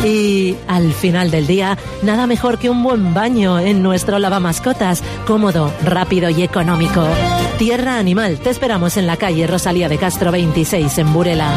Y al final del día, nada mejor que un buen baño en nuestro lavamascotas, cómodo, rápido y económico. Tierra Animal, te esperamos en la calle Rosalía de Castro 26 en Burela.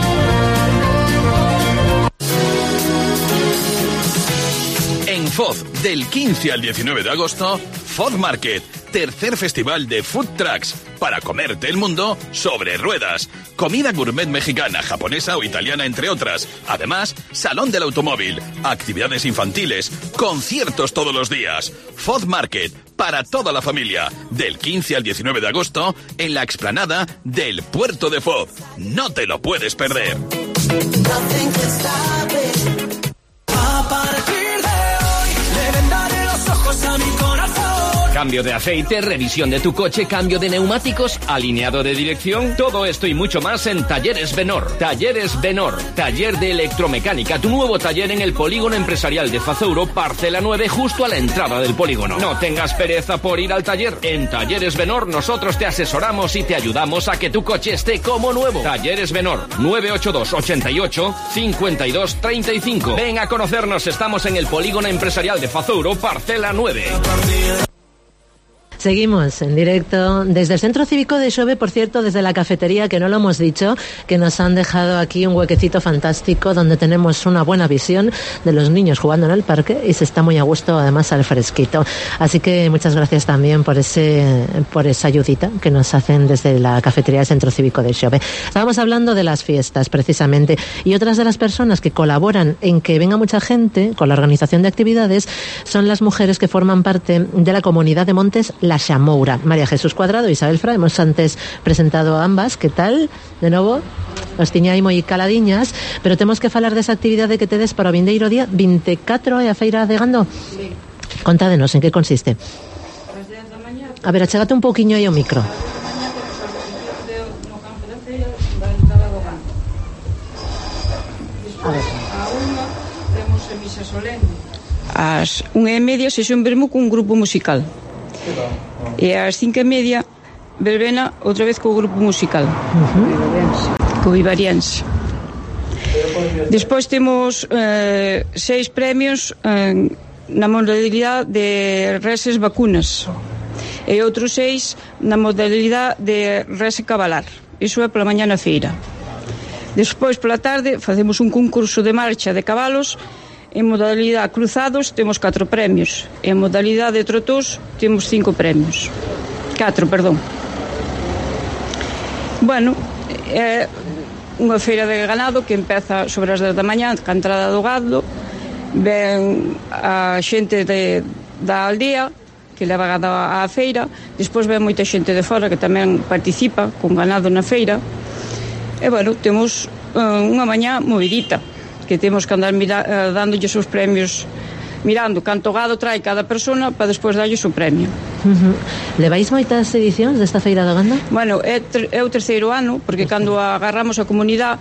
En Foz, del 15 al 19 de agosto, Foz Market, tercer festival de food trucks para comerte el mundo sobre ruedas. Comida gourmet mexicana, japonesa o italiana, entre otras. Además, salón del automóvil, actividades infantiles, conciertos todos los días. Foz Market, para toda la familia, del 15 al 19 de agosto, en la explanada del Puerto de Foz. No te lo puedes perder. Cambio de aceite, revisión de tu coche, cambio de neumáticos, alineado de dirección, todo esto y mucho más en Talleres Benor. Talleres Benor, taller de electromecánica, tu nuevo taller en el polígono empresarial de Fazouro, parcela 9, justo a la entrada del polígono. No tengas pereza por ir al taller. En Talleres Benor nosotros te asesoramos y te ayudamos a que tu coche esté como nuevo. Talleres Benor, 982 88 52 35. Ven a conocernos, estamos en el polígono empresarial de Fazouro, parcela 9. Seguimos en directo desde el Centro Cívico de Xove, por cierto, desde la cafetería, que no lo hemos dicho, que nos han dejado aquí un huequecito fantástico donde tenemos una buena visión de los niños jugando en el parque y se está muy a gusto, además al fresquito. Así que muchas gracias también por esa ayudita que nos hacen desde la cafetería del Centro Cívico de Xove. Estábamos hablando de las fiestas, precisamente, y otras de las personas que colaboran en que venga mucha gente con la organización de actividades son las mujeres que forman parte de la comunidad de Montes La Xamoura. María Jesús Cuadrado e Isabel Fra, hemos antes presentado a ambas. Que tal? De novo, os tiña aí moi caladiñas, pero temos que falar desa actividade que tedes para o vindeiro día 24 e a feira de gando. Sí. Contádenos, en que consiste? A ver, achégate un pouquiño aí ao micro. A ver. A unha temos a misa solene. Ás 1:30 sesión vermú cun grupo musical. E ás 5:30 verbena outra vez co grupo musical. Co Vivariense. Despois temos 6 premios na modalidade de reses vacunas e outros 6 na modalidade de rese cabalar. Iso é pola mañá na feira. Despois, pola tarde, facemos un concurso de marcha de cabalos. En modalidade cruzados temos 4 premios. En modalidade de trotós temos 5 premios. 4, perdón. Bueno, é unha feira de ganado que empeza sobre as 10 da mañá, ca entrada do gado. Ven a xente da aldea que leva gado á feira. Despois ven moita xente de fora que tamén participa con ganado na feira. E, bueno, temos unha mañá movidita, que temos que andar dándolle os premios, mirando canto gado trae cada persona para despois darlle o premio. Levais moitas edicións desta feira da ganda? Bueno, é o terceiro ano, porque cando agarramos a comunidade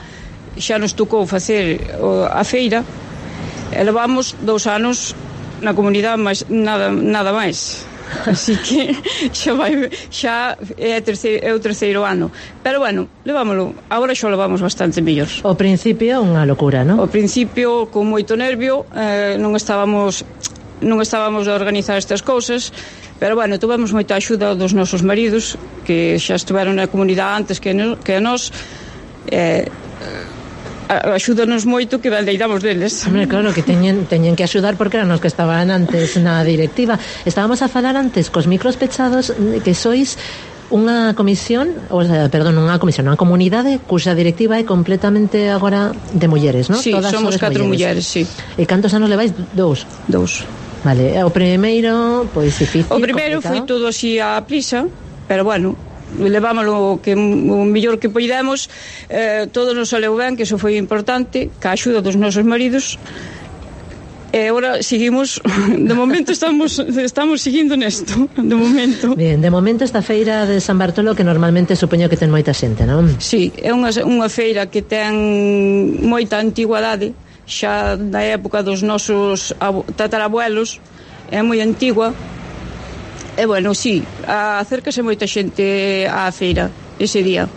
xa nos tocou facer a feira e levamos 2 anos na comunidade, mas nada máis. Así que xa é o terceiro ano. Pero bueno, levámoslo. Agora xa levamos bastante mellor. O principio unha locura, non? O principio con moito nervio, non estábamos a organizar estas cousas, pero bueno, tuvemos moita axuda dos nosos maridos que xa estiveron na comunidade antes que nós. Axúdanos moito que bandeiramos deles. Hombre, claro, que teñen que axudar porque eran os que estaban antes na directiva. Estábamos a falar antes cos micros pechados que sois unha comisión, unha comunidade cuxa directiva é completamente agora de mulleres, non? Sí, todas somos 4 mulleres, sí. E cantos anos levais? 2. Vale, o primeiro, pois difícil, o primeiro foi todo así a prisa, pero bueno, levámoslo o mellor que poidemos. Todo nos saleu ben, que iso foi importante, ca axuda dos nosos maridos. E agora seguimos, de momento estamos seguindo nesto, de momento. Bien, de momento esta feira de San Bartolo, que normalmente supoño que ten moita xente, non? Sí, é unha feira que ten moita antigüedade, xa da época dos nosos tatarabuelos, é moi antigua. E bueno, sí, acércase moita xente á feira ese día.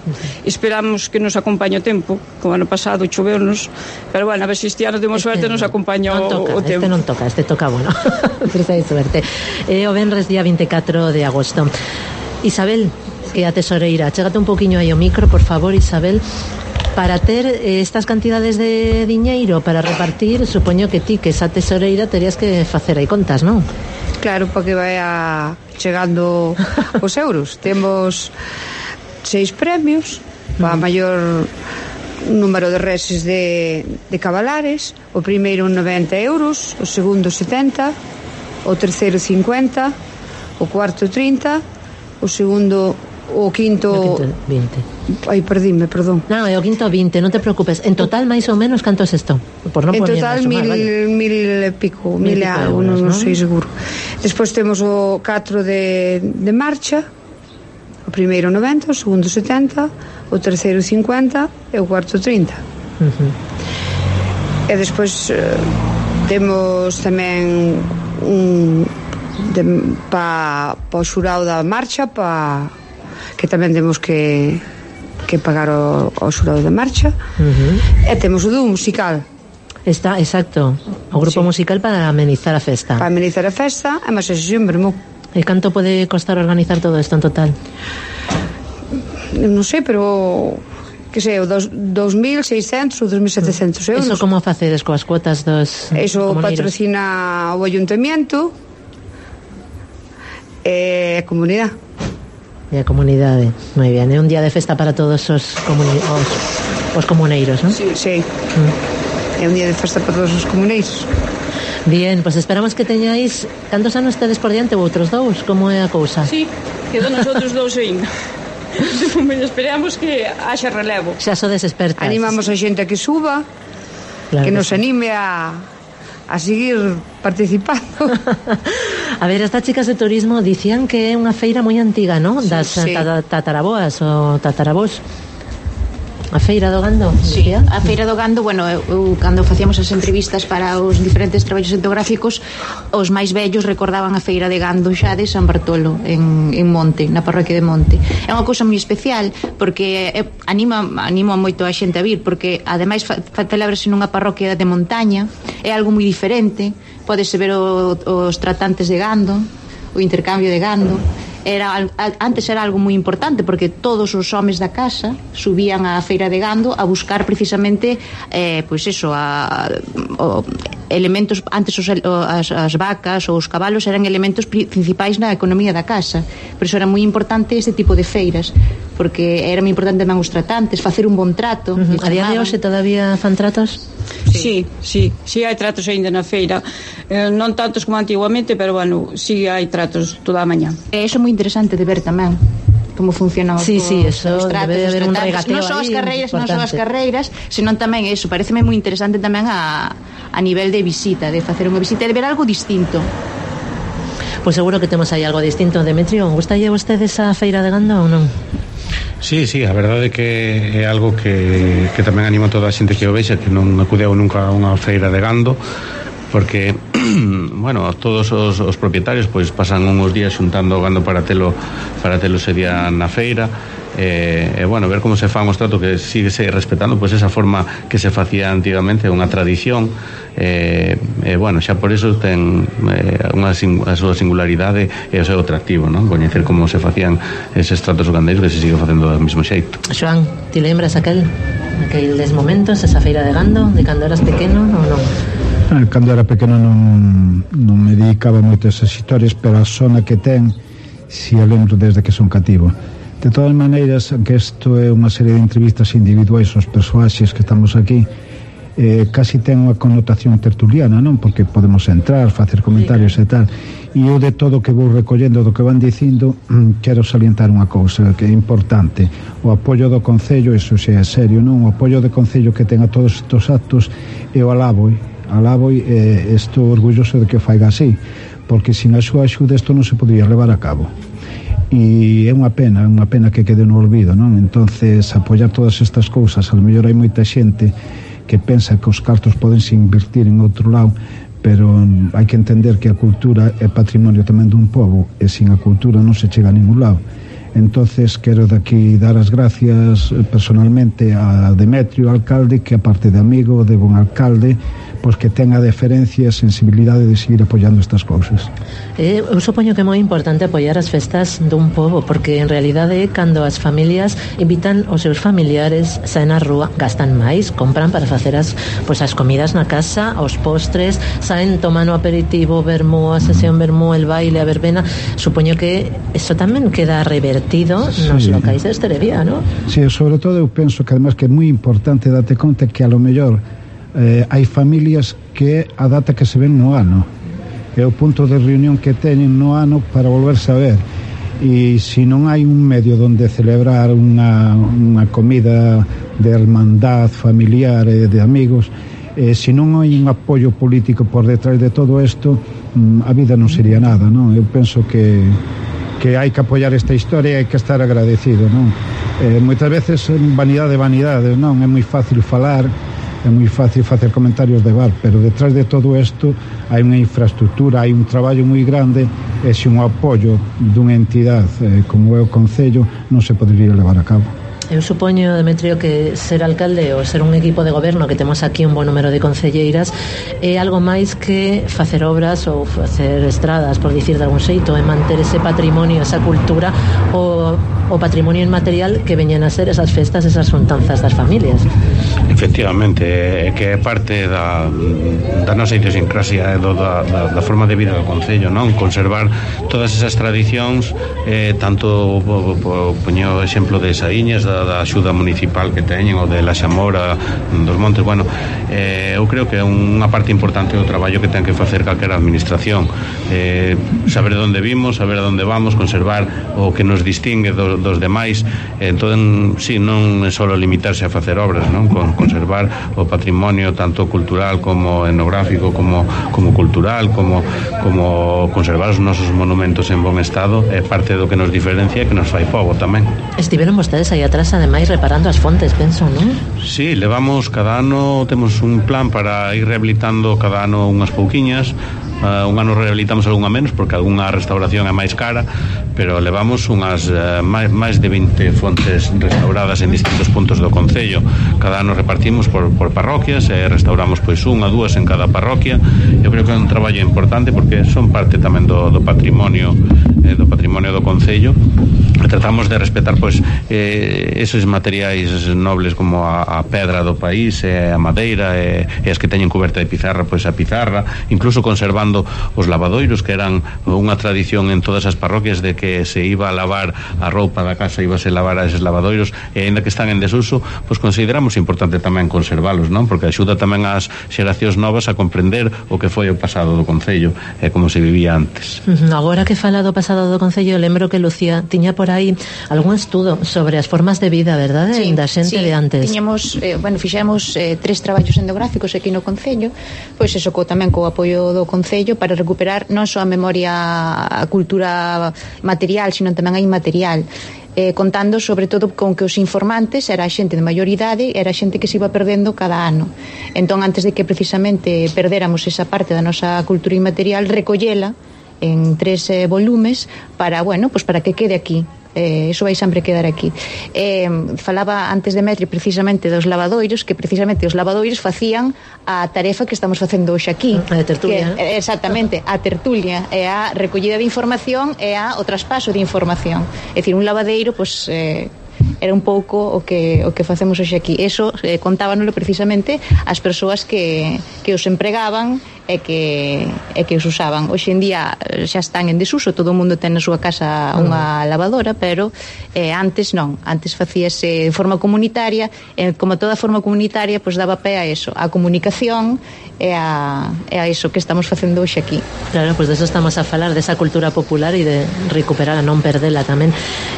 Esperamos que nos acompañe o tempo, como ano pasado choveunos, pero bueno, a ver se este ano temos suerte, nos acompaña o tempo. Este non toca, este toca, bueno, pero hai suerte. O venres día 24 de agosto. Isabel, que é a tesoreira, chégate un poquinho aí o micro, por favor, Isabel. Para ter estas cantidades de diñeiro para repartir, supoño que ti, que esa tesoreira, terías que facer aí contas, non? Claro, para que vaya chegando os euros. Temos 6 premios para maior número de reses de cabalares. O primeiro 90 euros, o segundo 70, o terceiro 50, o cuarto 30, o segundo, o quinto 20. Ai, perdime, perdón. Non, é o quinto 20, non te preocupes. En total, máis ou menos, canto é isto? En total, 1000 e pico, 1000 e algo, non sei seguro. Despois temos o 4 de marcha. O primeiro 90, o segundo 70, o terceiro 50 e o cuarto 30. E despois temos tamén para o xurado da marcha, que tamén temos que pagar o xurado da marcha. E temos o dúo musical. Está, exacto, o grupo musical para amenizar a festa. Para amenizar a festa, e máis a sesión vermú. E canto pode costar organizar todo isto en total? Non sei, pero que sei, 2.600 ou 2.700 euros. Eso como facedes coas cuotas dos Eso patrocina o ayuntamiento e a comunidade. E a comunidade, moi bien. É un día de festa para todos os comuneiros, non? Sí, sí. É un día de festa para todos os comuneiros. Bien, pues esperamos que teñáis cantos anos tedes por diante ou outros 2, como é a cousa? Sí, quedan os outros 2 ainda. Esperamos que haxa relevo. Xa sodes expertas. Animamos a xente a que suba, claro, que nos anime a seguir participando. A ver, estas chicas de turismo dicían que é unha feira moi antiga, non? Das tataraboas ou tatarabós. A Feira do Gando? Sí, a Feira do Gando, bueno, eu cando facíamos as entrevistas para os diferentes traballos etnográficos, os máis vellos recordaban a Feira de Gando xa de San Bartolo en Monte, na parroquia de Monte. É unha cousa moi especial porque anima moito a xente a vir, porque ademais celebrase nunha parroquia de montaña, é algo moi diferente, podese ver os tratantes de gando, o intercambio de gando. Antes era algo moi importante porque todos os homes da casa subían á feira de gando a buscar precisamente pois eso, elementos. Antes as vacas ou os cabalos eran elementos principais na economía da casa, por iso era moi importante este tipo de feiras, porque era moi importante tamén os tratantes, facer un bon trato. A día de hoxe todavía fan tratos? Sí, hai tratos aínda na feira, non tantos como antiguamente, pero bueno, sí hai tratos toda a mañá. Iso é moi interesante de ver tamén como funcionan os eso tratos, debe de haber un regateo non só as carreiras, senón tamén eso, pareceme moi interesante tamén a nivel de visita, de facer unha visita e de ver algo distinto. Pois seguro que temos aí algo distinto. Demetrio, gustalle a vostedes a feira de gando ou non? Sí, a verdade é que é algo que tamén anima toda a xente que o vexa, que non acudeu nunca a unha feira de gando, porque bueno, todos os propietarios pois pasan uns días xuntando o gando para telo ese día na feira, bueno, ver como se fan os tratos, que sigue respetando pois esa forma que se facía antigamente, unha tradición, bueno, xa por iso ten a súa singularidade e o seu atractivo, non? Coñecer como se facían eses tratos gandeiros, que se sigue facendo do mesmo xeito. Xoan, ti lembras aqueles momentos, esa feira de gando, de cando eras pequeno ou non? Cando era pequeno non me dedicaba moito a esas historias, pero a zona que ten si a lembro desde que son cativo. De todas maneiras, que isto é unha serie de entrevistas individuais aos persoaxes que estamos aquí, casi ten unha connotación tertuliana, non? Porque podemos entrar, facer comentarios e tal, e eu de todo que vou recollendo do que van dicindo, quero salientar unha cousa que é importante: o apoio do Concello, iso xa é serio, non? O apoio do Concello que ten a todos estes actos, eu alabo e estou orgulloso de que o faiga así, porque sin a súa axuda isto non se podría levar a cabo, e é unha pena que quede no olvido, non? Entonces, apoiar todas estas cousas, a lo mellor hai moita xente que pensa que os cartos podense invertir en outro lado, pero hai que entender que a cultura é patrimonio tamén dun pobo, e sin a cultura non se chega a ningún lado. Entonces quero daqui dar as gracias personalmente a Demetrio, alcalde, que aparte de amigo, de bon alcalde, pois que ten a deferencia e a sensibilidade de seguir apoiando estas cousas. Eu supoño que é moi importante apoiar as festas dun pobo, porque en realidade cando as familias invitan os seus familiares, saen á rúa, gastan máis, compran para facer as comidas na casa, os postres, saen, toman o aperitivo, vermú, a sesión vermú, el baile, a verbena. Supoño que eso tamén queda revertido nos locais de hostelería, non? Sí, sobre todo eu penso que además que é moi importante date conta que a lo mellor hai familias que a data que se ven no ano é o punto de reunión que teñen no ano para volverse a ver, e se non hai un medio donde celebrar unha comida de hermandad familiar e de amigos, se non hai un apoio político por detrás de todo isto, a vida non sería nada, non? Eu penso que hai que apoiar esta historia e hai que estar agradecido, non? Moitas veces vanidade, non? É moi fácil falar, é moi fácil facer comentarios de bar, pero detrás de todo isto hai unha infraestructura, hai un traballo moi grande, e se un apoio dunha entidade como é o Concello non se podería levar a cabo. Eu supoño, Demetrio, que ser alcalde ou ser un equipo de goberno, que temos aquí un bon número de concelleiras, é algo máis que facer obras ou facer estradas, por dicir de algún xeito, é manter ese patrimonio, esa cultura, o patrimonio inmaterial que veñen a ser esas festas, esas xuntanzas das familias. Efectivamente, é que é parte da nosa idiosincrasia, da forma de vida do Concello, non? Conservar todas esas tradicións, tanto poño o exemplo de Saíñas, da axuda municipal que teñen, ou de La Xamora, dos Montes. Bueno, eu creo que é unha parte importante do traballo que ten que facer calquera administración, saber onde vimos, saber a onde vamos, conservar o que nos distingue dos demais. Entón, sí, non é só limitarse a facer obras, non? Conservar o patrimonio tanto cultural como etnográfico, como cultural, como conservar os nosos monumentos en bon estado, é parte do que nos diferencia e que nos fai pobo tamén. Estiveron vostedes aí atrás vas ademais reparando as fontes, penso, non? Sí, levamos cada ano, temos un plan para ir rehabilitando cada ano unhas pouquiñas. Un ano rehabilitamos algunha menos porque algunha restauración é máis cara, pero levamos unhas máis de 20 fontes restauradas en distintos puntos do concello. Cada ano repartimos por parroquias e restauramos pois unha, dúas en cada parroquia. Eu creo que é un traballo importante porque son parte tamén do patrimonio do concello. Tratamos de respetar pois esos materiais nobles como a pedra do país, a madeira e as que teñen cuberta de pizarra, pois a pizarra, incluso conservando os lavadoiros, que eran unha tradición en todas as parroquias de que se iba a lavar a roupa da casa, ibase a lavar a eses lavadoiros, e ainda que están en desuso, pois consideramos importante tamén conservalos, non? Porque axuda tamén ás xeracións novas a comprender o que foi o pasado do concello e como se vivía antes. Agora que fala do pasado do concello, lembro que Lucía tiña por aí algún estudo sobre as formas de vida, verdade? Sí, da xente de antes. Tiñamos, fixemos 3 traballos etnográficos aquí no concello, pois eso tamén co apoio do concello para recuperar non só a memoria, a cultura material, sino tamén a inmaterial. Contando sobre todo con que os informantes era a xente de maior idade, era a xente que se iba perdendo cada ano. Entón, antes de que precisamente perdéramos esa parte da nosa cultura inmaterial, recollela en 3 volumes para, pues para que quede aquí. Eso vai sempre quedar aquí. Falaba antes de Metri precisamente dos lavadoiros, que precisamente os lavadoiros facían a tarefa que estamos facendo hoxe aquí, a tertulia, exactamente, a tertulia, é a recollida de información e o traspaso de información. É dicir, un lavadeiro era un pouco o que facemos hoxe aquí. Eso contábanoslo precisamente as persoas que os empregaban e que os usaban. Hoxe en día xa están en desuso, todo o mundo ten na súa casa unha lavadora, pero antes non, antes facíase de forma comunitaria, e como toda forma comunitaria, pois daba pé a eso, a comunicación e a eso que estamos facendo hoxe aquí. Claro, pois de eso estamos a falar, desa cultura popular e de recuperar a non perdela tamén.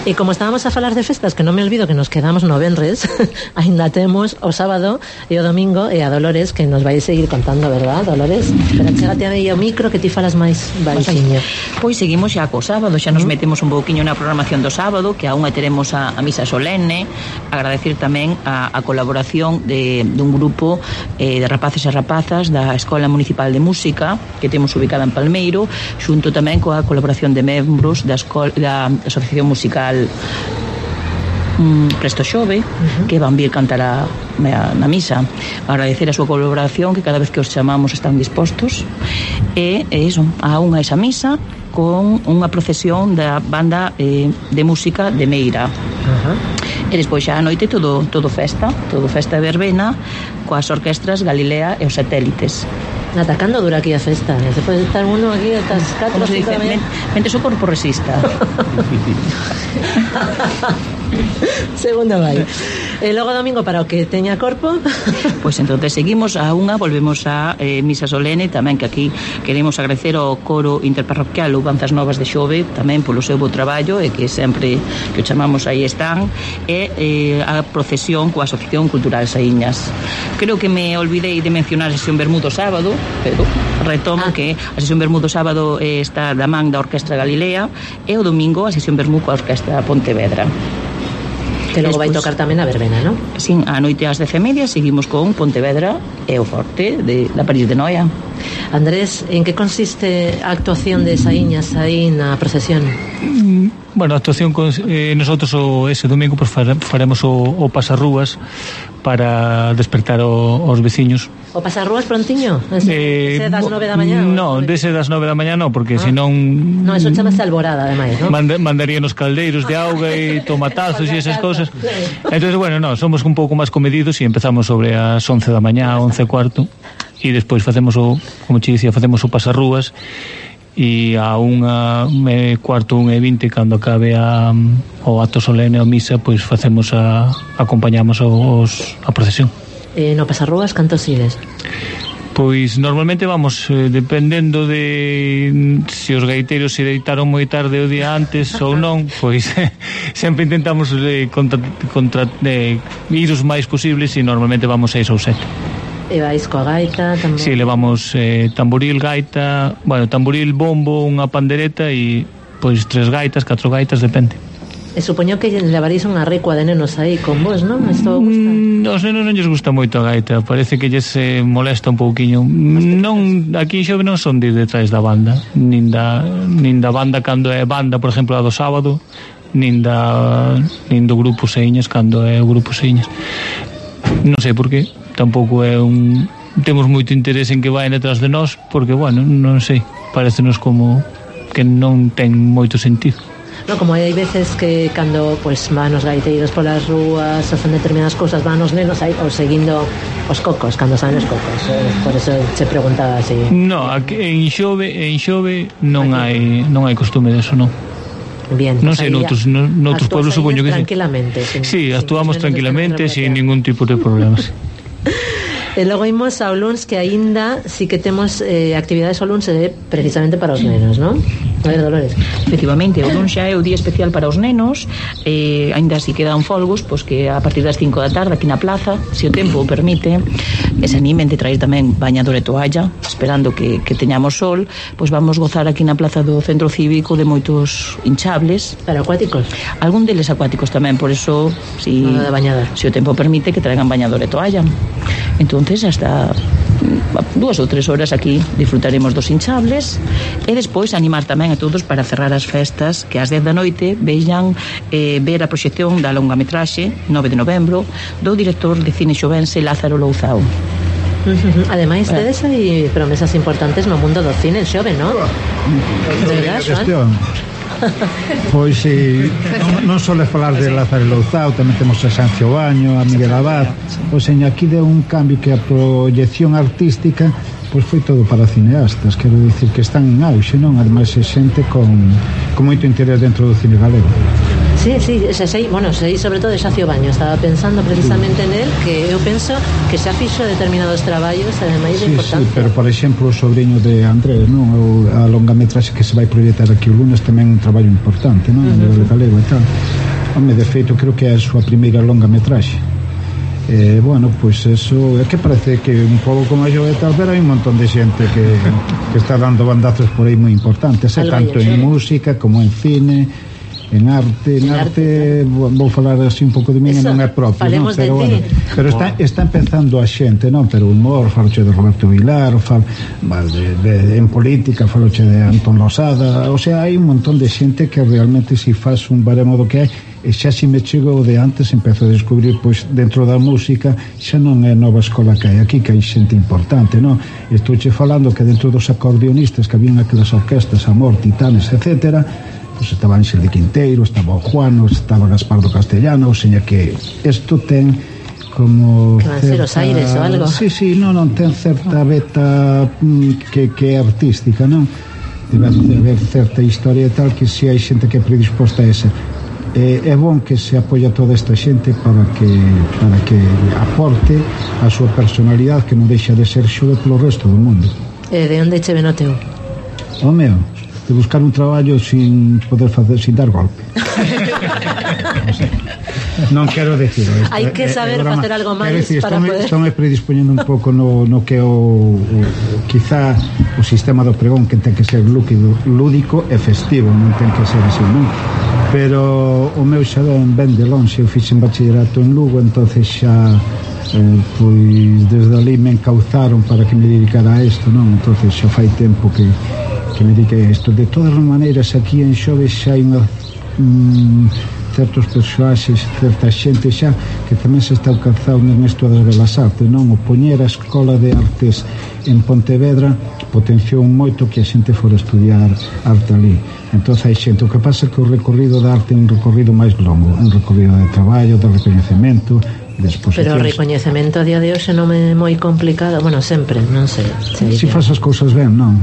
E como estábamos a falar de festas, que non me olvido que nos quedamos no venres, ainda temos o sábado e o domingo, e a Dolores que nos vai seguir contando, verdad, Dolores? Pero chégate aí o micro que ti falas máis baixiño. Pois seguimos xa co sábado, xa nos metemos un pouquiño na programación do sábado, que aún teremos a misa solene. Agradecer tamén a colaboración dun grupo de rapaces e rapazas da Escola Municipal de Música que temos ubicada en Palmeiro, xunto tamén coa colaboración de membros da Asociación Musical Presto Xove, que van vir cantar na misa. Agradecer a súa colaboración, que cada vez que os chamamos están dispostos, e iso, a unha esa misa con unha procesión da banda de música de Meira. E despois xa a noite todo festa de verbena coas orquestras Galilea e os Satélites. Ata cando dura aquí a festa? Se pode estar uno aquí ata as 4 ou 5 da mañá. Mente o corpo resista. Segundo vai. E logo domingo para o que teña corpo. Pois entonces seguimos a unha, volvemos a misa solene, tamén que aquí queremos agradecer ao coro interparroquial Louvanzas Novas de Xove tamén polo seu bo traballo, e que sempre que o chamamos aí están, e a procesión coa Asociación Cultural Saíñas. Creo que me olvidei de mencionar a sesión Bermudo sábado, pero retomo que a sesión Bermudo sábado está da man da Orquestra Galilea, e o domingo a sesión Bermudo coa Orquestra Pontevedra. Que logo vai tocar tamén a verbena, non? Sin, a noite ás 10:30 seguimos con Pontevedra e o Forte da París de Noia. Andrés, en que consiste a actuación de Saíñas aí na procesión? Bueno, a actuación nosotros ese domingo pues faremos o pasarrúas para despertar os veciños. O pasarrúas prontiño? Ese das 9 da mañá? No, dese das 9 da mañá no, porque senón... No, eso chamase alborada, ademais, ¿no? Mandarían os caldeiros de auga e tomatazos e esas cosas. Entonces, bueno, no, somos un pouco máis comedidos e empezamos sobre as 11 da mañá, 11:15, e despois facemos como che dicía, facemos o pasarrúas, e a 1:15, 1:20, cando acabe o acto solene ou misa, pois facemos acompañamos a procesión. No pasarrúas, cantos ides? Pois normalmente vamos dependendo de se os gaiteiros se deitaron moi tarde o día antes ou non, pois sempre intentamos ir os máis posibles, e normalmente vamos 6 ou 7. E vais coa gaita tamén? Si, levamos tamboril, gaita, tamboril, bombo, unha pandereta e pois 3 gaitas, 4 gaitas, depende. E supoño que levaréis unha recua de nenos aí con vos, non? Isto gusta? Os nenos non lles gusta moito a gaita, parece que lles molesta un pouquiño. Non, aquí en Xove non son de detrás da banda, nin da banda cando é banda, por exemplo, a do sábado, nin do grupo Señas cando é o grupo Señas. Non sei por qué, tampouco é temos moito interese en que vayan detrás de nós, porque, bueno, non sei, parecenos como que non ten moito sentido. No, como hai veces que cando pues, van os gaiteiros polas rúas ou fan determinadas cousas, van os nenos aí ou seguindo os cocos, cando saen os cocos, por eso se preguntaba así. No, aquí en Xove non hai costume deso, non. Bien, non sei, noutros pueblos supoño que tranquilamente. Sí, actuamos tranquilamente sin ningún tipo de problemas. E logo imos ao luns, que aínda sí que temos actividades ao luns precisamente para os nenos, non? A ver, Dolores. Efectivamente, o luns xa é o día especial para os nenos, aínda si quedan folgos, pois que a partir das 5 da tarde aquí na plaza, se o tempo o permite, e se animen de traer tamén bañador e toalla, esperando que teñamos sol, pois vamos gozar aquí na plaza do Centro Cívico de moitos hinchables. Para acuáticos? Algún deles acuáticos tamén, por eso, se o tempo permite, que traigan bañador e toalla. Entonces, hasta 2 ou 3 horas aquí disfrutaremos dos hinchables e despois animar tamén a todos para cerrar as festas, que ás 10 da noite veñan ver a proxección da longametraxe 9 de novembro do director de cine xovense Lázaro Louzao. Ademais, tedes aí promesas importantes no mundo do cine en Xove, non? De verdad, Joan? Pois non só falar de Lázaro Louzao, tamén temos a Sancio Baño, a Miguel Abad. Pois aquí deu un cambio que a proyección artística pois foi todo para cineastas, quero dicir que están en auxe, non? Ademais é xente con moito interés dentro do cine galego. Sí, sei sobre todo de Xacio Baño. Estaba pensando precisamente en él, que eu penso que xa fixo determinados traballos, ademais de importancia. Sí, pero por exemplo o sobrinho de Andrés, non? A longametraxe que se vai proyectar aquí o lunes tamén un traballo importante, non? A nivel galego e tal. Home, de feito, creo que é a súa primeira longametraxe. Bueno, pois eso é que parece que un pouco como yo e tal, pero hai un montón de xente que está dando bandazos por aí moi importantes, tanto en música como en cine, en arte vou falar así un pouco de mí, non é propio, non? Pero bueno, pero está empezando a xente, non? Pero humor, faloche de Roberto Vilar, en política faloche de Antón Losada, o sea, hai un montón de xente que realmente si faz un baremo do que hai, e xa si me chego de antes empezo a descubrir, pois dentro da música xa non é nova escola que hai aquí, que hai xente importante, non? Estouche falando que dentro dos acordeonistas que habían aquelas orquestas, Amor, Titanes, etcétera, pois estaba Ángel de Quinteiro, estaba o Juano, estaba Gaspardo Castellano, ou seña que isto ten como que van ser os aires ou algo. Sí, non ten certa beta que é artística, non? Debe haber certa historia e tal, que si hai xente que é predisposta a esa. É bon que se apoia toda esta xente para que aporte a súa personalidade, que non deixa de ser Xove polo resto do mundo. E de onde che ven o teu? O meu, de buscar un traballo sin poder facer, sin dar golpe. Non quero decir isto. Hai que saber facer algo máis para poder. Estou me predispoñendo un pouco no que o quizá o sistema do pregón, que ten que ser lúdico e festivo, non ten que ser así, non? Pero o meu xa ven de lonxe. Eu fixen bachillerato en Lugo, entonces xa pois desde ali me encauzaron para que me dedicara a isto, non? Entonces xa fai tempo que me dediquei a isto. De todas as maneiras, aquí en Xove xa hai certos persoaxes, certa xente xa que tamén se está alcanzando nesto das Belas Artes, non? O poñer a Escola de Artes en Pontevedra potenciou moito que a xente fora estudiar arte ali. Entón hai xente, o que pasa é que o recorrido da arte é un recorrido máis longo, un recorrido de traballo, de recoñecemento, de exposicións. Pero o recoñecemento a día de hoxe non é moi complicado, bueno, sempre, non sei. Si faz as cousas ben, non?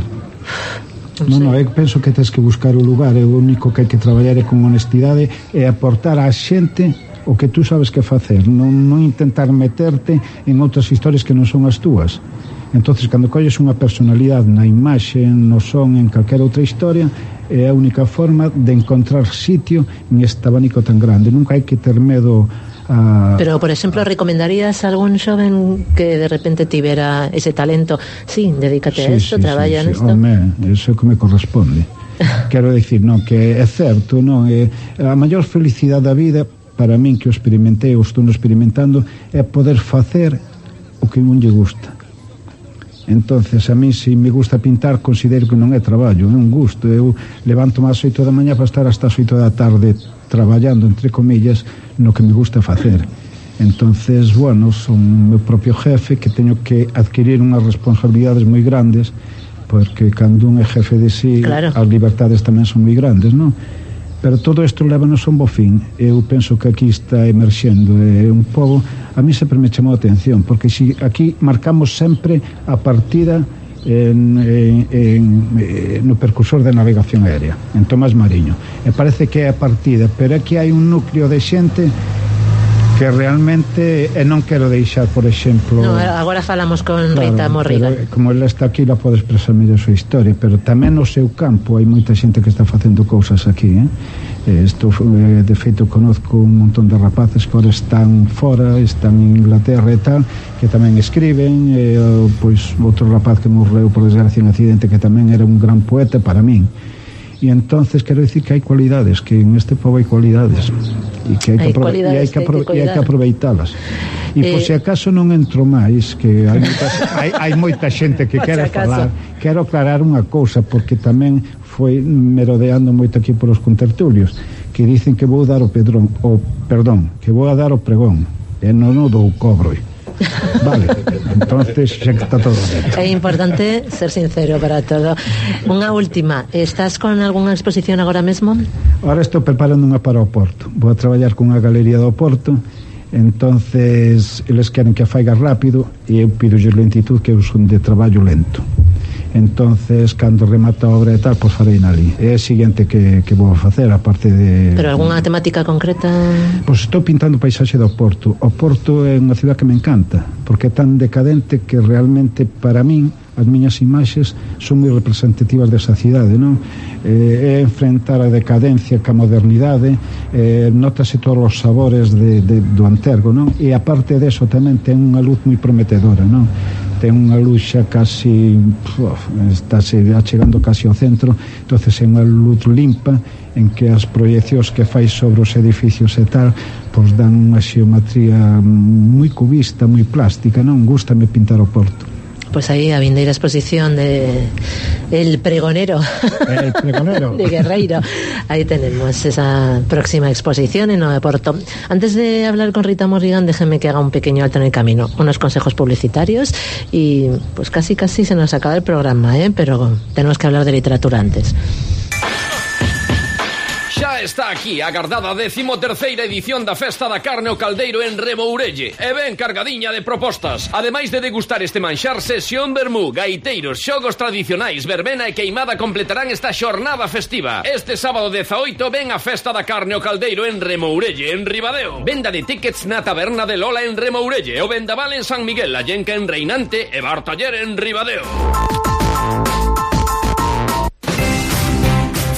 Non, eu penso que tens que buscar o lugar, e o único que hai que traballar é con honestidade e aportar á xente o que tú sabes que facer, non intentar meterte en outras historias que non son as túas. Entonces, cando colles unha personalidade na imaxe, no son, en calquera outra historia, é a única forma de encontrar sitio en este abanico tan grande. Nunca hai que ter medo a... Pero, por exemplo, recomendarías a algún xoven que de repente tivera ese talento? Sí, dedícate a esto, traballa nesto. Home, eso é que me corresponde. quero dicir, non, que é certo, non, a maior felicidade da vida para min, que o experimentei, ou estou experimentando, é poder facer o que non lle gusta. Entonces, a mí, se me gusta pintar, considero que non é traballo, é un gusto. Eu levanto máis 8 da mañá para estar hasta as 8 da tarde traballando, entre comillas, no que me gusta facer. Entonces, bueno, son o meu propio jefe, que teño que adquirir unhas responsabilidades moi grandes, porque cando un é jefe de si, claro, as libertades tamén son moi grandes, non? Pero todo isto lévanos a un bo fin. Eu penso que aquí está emerxendo un pouco, a mí sempre me chamou a atención, porque si aquí marcamos sempre a partida no percursor de navegación aérea, en Tomás Mariño, e parece que é a partida, pero aquí hai un núcleo de xente que realmente, non quero deixar, por exemplo... No, agora falamos con Rita Morrigan. Como ela está aquí, ela pode expresar mellor a súa historia, pero tamén no seu campo hai moita xente que está facendo cousas aquí, de feito, conozco un montón de rapaces que ahora están fora, están en Inglaterra e tal, que tamén escriben, pois outro rapaz que morreu por desgracia en accidente, que tamén era un gran poeta para min. E entonces quero dicir que hai cualidades, que en este povo hai cualidades, e que hai que aproveitalas. E por se acaso non entro máis, que hai moita xente que quere falar, quero aclarar unha cousa, porque tamén foi merodeando moito aquí por os contertulios, que dicen que vou dar que vou a dar o pregón, e non o dou cobro. Vale, entonces xa que está todo ben. É importante ser sincero para todo. Unha última, estás con algunha exposición agora mesmo? Ahora estou preparando unha para o Porto. Vou a traballar con unha galería do Porto. Entonces eles queren que a faiga rápido e eu pido lentitud, que eu son de traballo lento. Entonces, cando remata a obra e tal, pois farei nali. É o seguinte que vou facer, aparte de... Pero algunha temática concreta? Pois estou pintando o paisaxe do Porto. O Porto é unha cidade que me encanta, porque é tan decadente que realmente, para min, as miñas imaxes son moi representativas desa cidade, non? É enfrentar a decadencia ca modernidade, notase todos os sabores do Antergo, non? E aparte deso tamén ten unha luz moi prometedora, non? Ten unha luz xa casi estáse achegando casi ao centro, entonces é unha luz limpa en que as proyeccións que fai sobre os edificios e tal, pois dan unha xeometría moi cubista, moi plástica, non? Gústame pintar o Porto. Pues aí a vindeira exposición de El Pregonero de Guerreiro. Ahí tenemos esa próxima exposición en Nueva Porto. Antes de hablar con Rita Morrigan, déjeme que haga un pequeño alto en el camino, unos consejos publicitarios y pues casi se nos acaba el programa, pero tenemos que hablar de literatura antes. Xa está aquí a agardada 13ª edición da Festa da Carne o Caldeiro en Remourelle, e ben cargadiña de propostas. Ademais de degustar este manxar, sesión vermú, gaiteiros, xogos tradicionais, verbena e queimada completarán esta xornada festiva. Este sábado 18 ven a Festa da Carne o Caldeiro en Remourelle, en Ribadeo. Venda de tickets na taberna de Lola en Remourelle, o vendaval en San Miguel, la Llenca en Reinante e Bar Taller en Ribadeo.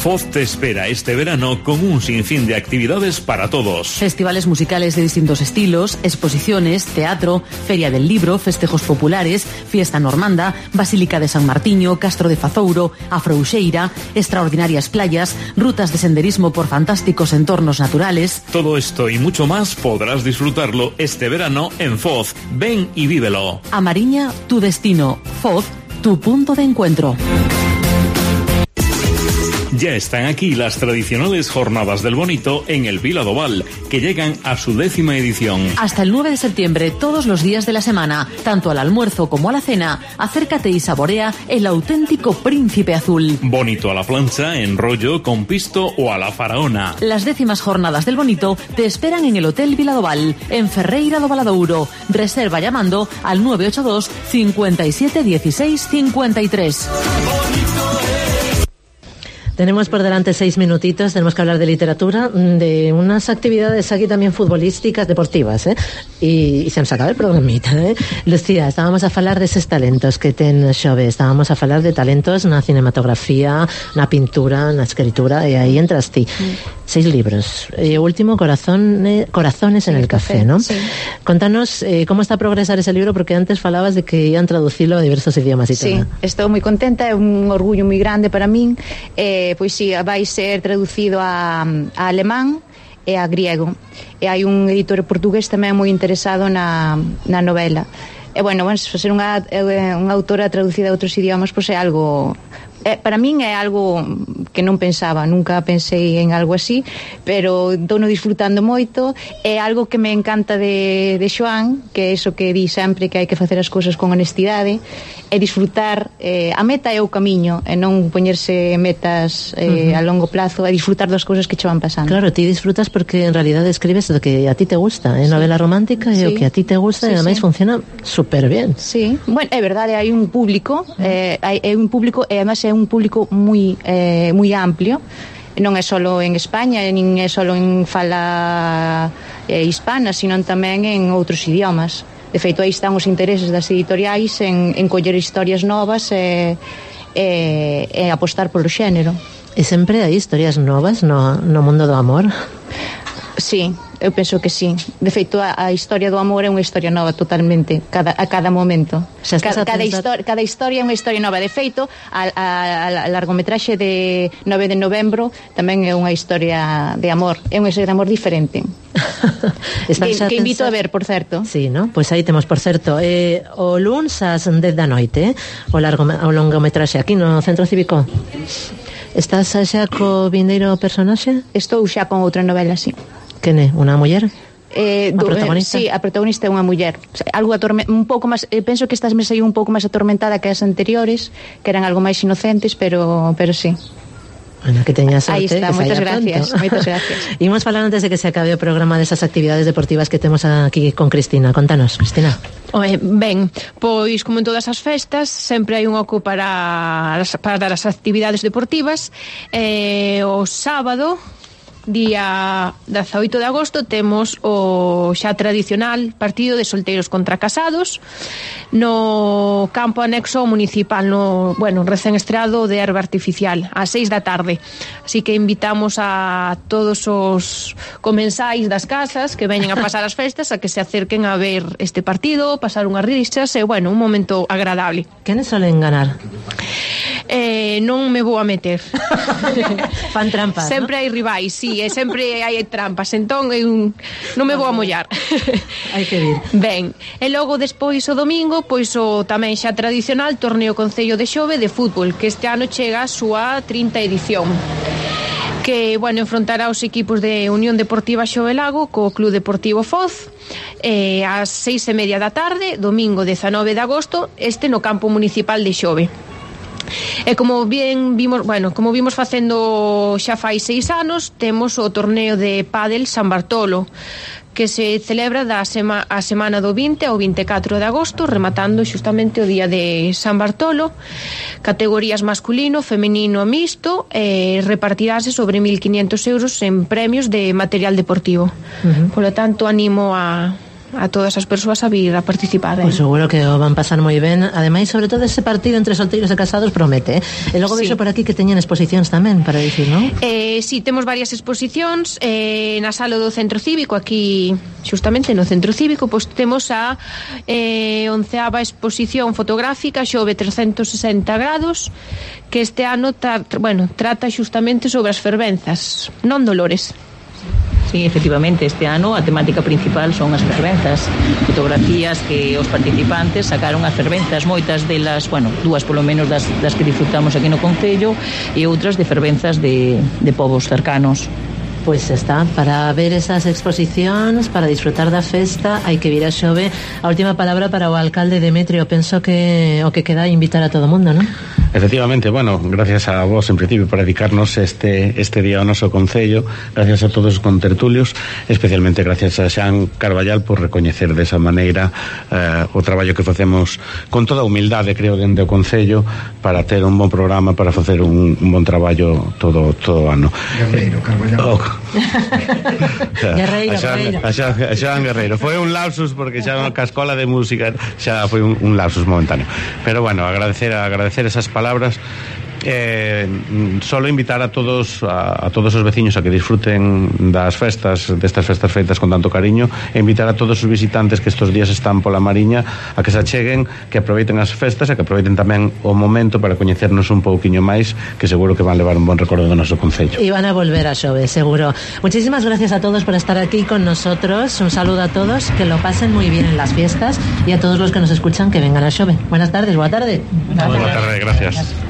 Foz te espera este verano con un sinfín de actividades para todos. Festivales musicales de distintos estilos, exposiciones, teatro, feria del libro, festejos populares, fiesta normanda, Basílica de San Martiño, Castro de Fazouro, Afrouxeira, extraordinarias playas, rutas de senderismo por fantásticos entornos naturales. Todo esto y mucho más podrás disfrutarlo este verano en Foz. Ven y vívelo. A Mariña, tu destino. Foz, tu punto de encuentro. Ya están aquí las tradicionales Jornadas del Bonito en el Vila do Val, que llegan a su 10ª edición. Hasta el 9 de septiembre, todos los días de la semana, tanto al almuerzo como a la cena, acércate y saborea el auténtico Príncipe Azul. Bonito a la plancha, en rollo, con pisto o a la faraona. Las 10ª Jornadas del Bonito te esperan en el Hotel Vila do Val, en Ferreira do Valadouro. Reserva llamando al 982 57 16 53. Tenemos por delante 6 minutitos, tenemos que hablar de literatura, de unas actividades aquí también futbolísticas, deportivas, y se nos acaba el programita, Lucía, estábamos a falar deses talentos que ten Xove, estábamos a falar de talentos na cinematografía, na pintura, na escritura, e aí entras ti. 6 libros. O último, Corazones en el café, ¿no? Sí. Contanos cómo está a progresar ese libro, porque antes falabas de que iban traducilo a diversos idiomas y sí, todo. Sí, estou moi contenta, é un orgullo moi grande para min, pois si, vai ser traducido a alemán e a griego. E hai un editor portugués tamén moi interesado na novela. E bueno, ser unha autora traducida a outros idiomas, pois é algo... para min é algo que non pensaba, nunca pensei en algo así, pero estou disfrutando moito. É algo que me encanta de Xoán, que é iso que di sempre, que hai que facer as cousas con honestidade e disfrutar. A meta é o camiño, e non poñerse metas a longo plazo, e disfrutar das cousas que che van pasando. Claro, ti disfrutas porque en realidad escribes lo que a ti te gusta, novela romántica é o que a ti te gusta, e ademais funciona super bien. Sí, bueno, é verdade, hai un público, e además é un público moi amplio. Non é solo en España, nin é solo en fala hispana, sino tamén en outros idiomas. De feito, aí están os intereses das editoriais en coller historias novas e apostar polo xénero. E sempre hai historias novas no mundo do amor? Sí, eu penso que sí. De feito, a historia do amor é unha historia nova totalmente, a cada momento. Cada historia é unha historia nova. De feito, a largometraxe de 9 de novembro tamén é unha historia de amor. É unha historia de amor diferente. que invito a ver, por certo. Sí, ¿no? Pois aí temos, por certo, o luns ás 10 da noite, o longometraxe aquí no Centro Cívico. Estás xa co vindeiro personaxe? Estou xa con outra novela, sí. Quen é? Unha muller? A protagonista? Sí, a protagonista é unha muller. Algo un pouco máis, penso que estas me saiu un pouco máis atormentada que as anteriores, que eran algo máis inocentes, pero sí. Ana, que teñas sorte. Aí está, moitas gracias. Imos falar antes de que se acabe o programa desas actividades deportivas que temos aquí con Cristina. Contanos, Cristina. Ben, pois como en todas as festas sempre hai un oco para as actividades deportivas. O sábado, día 18 de agosto, temos o xa tradicional partido de solteiros contra casados no campo anexo municipal, recén estreado de herba artificial, ás 6 da tarde. Así que invitamos a todos os comensais das casas que veñen a pasar as festas a que se acerquen a ver este partido, pasar unhas risas e, un momento agradable. Quenes solen ganar? Non me vou a meter. Fan trampas, sempre hai rivais, sí, e sempre hai trampas, entón non me vou a mollar. Hai que vir. Ben, e logo despois o domingo, pois o tamén xa tradicional torneo Concello de Xove de fútbol, que este ano chega a súa 30 edición, que, enfrontará os equipos de Unión Deportiva Xovelago co Club Deportivo Foz ás 6:30 da tarde, domingo 19 de agosto, no campo municipal de Xove. E como vimos facendo xa fai 6 anos, temos o torneo de pádel San Bartolo, que se celebra a semana do 20 ao 24 de agosto, rematando xustamente o día de San Bartolo. Categorías masculino, femenino e mixto, repartirase sobre 1.500 euros en premios de material deportivo. Por lo tanto, animo a todas as persoas a vir a participar. Pues seguro que o van pasar moi ben. Ademais, sobre todo ese partido entre solteiros e casados promete. E logo vexo por aquí que teñen exposicións tamén para dicir, non? Sí, temos varias exposicións na sala do Centro Cívico, aquí xustamente no Centro Cívico, pois temos a 11ª exposición fotográfica Xove 360 grados, que este ano trata xustamente sobre as fervenzas, non dolores. Sí, efectivamente, este ano a temática principal son as fervenzas, fotografías que os participantes sacaron as fervenzas, moitas delas, dúas polo menos das que disfrutamos aquí no Concello, e outras de fervenzas de povos cercanos. Pois está, para ver esas exposicións, para disfrutar da festa, hai que vir a Xove. A última palabra para o alcalde Demetrio. Penso que o que queda é invitar a todo o mundo, non? Efectivamente, gracias a vos en principio por dedicarnos este día ao noso Concello, gracias a todos os contertulios, especialmente gracias a Xan Carballal por recoñecer desa maneira o traballo que facemos con toda a humildade, creo, dende o Concello, para ter un bon programa, para facer un bon traballo todo o ano. Guerreiro, Carballal. Guerreiro. A Xan Guerreiro. Foi un lapsus porque xa na escola de música xa foi un lapsus momentáneo. Pero agradecer esas palabras Solo invitar a todos os veciños a que disfruten destas festas feitas con tanto cariño, e invitar a todos os visitantes que estos días están pola Mariña a que se acheguen, que aproveiten as festas e que aproveiten tamén o momento para coñecernos un pouquiño máis, que seguro que van levar un bon recordo do noso concello. Y van a volver a Xove, seguro. Muchísimas gracias a todos por estar aquí con nosotros. Un saludo a todos, que lo pasen muy bien en las fiestas, y a todos los que nos escuchan que vengan a Xove. Buenas tardes, boa tarde. Boa tarde, gracias.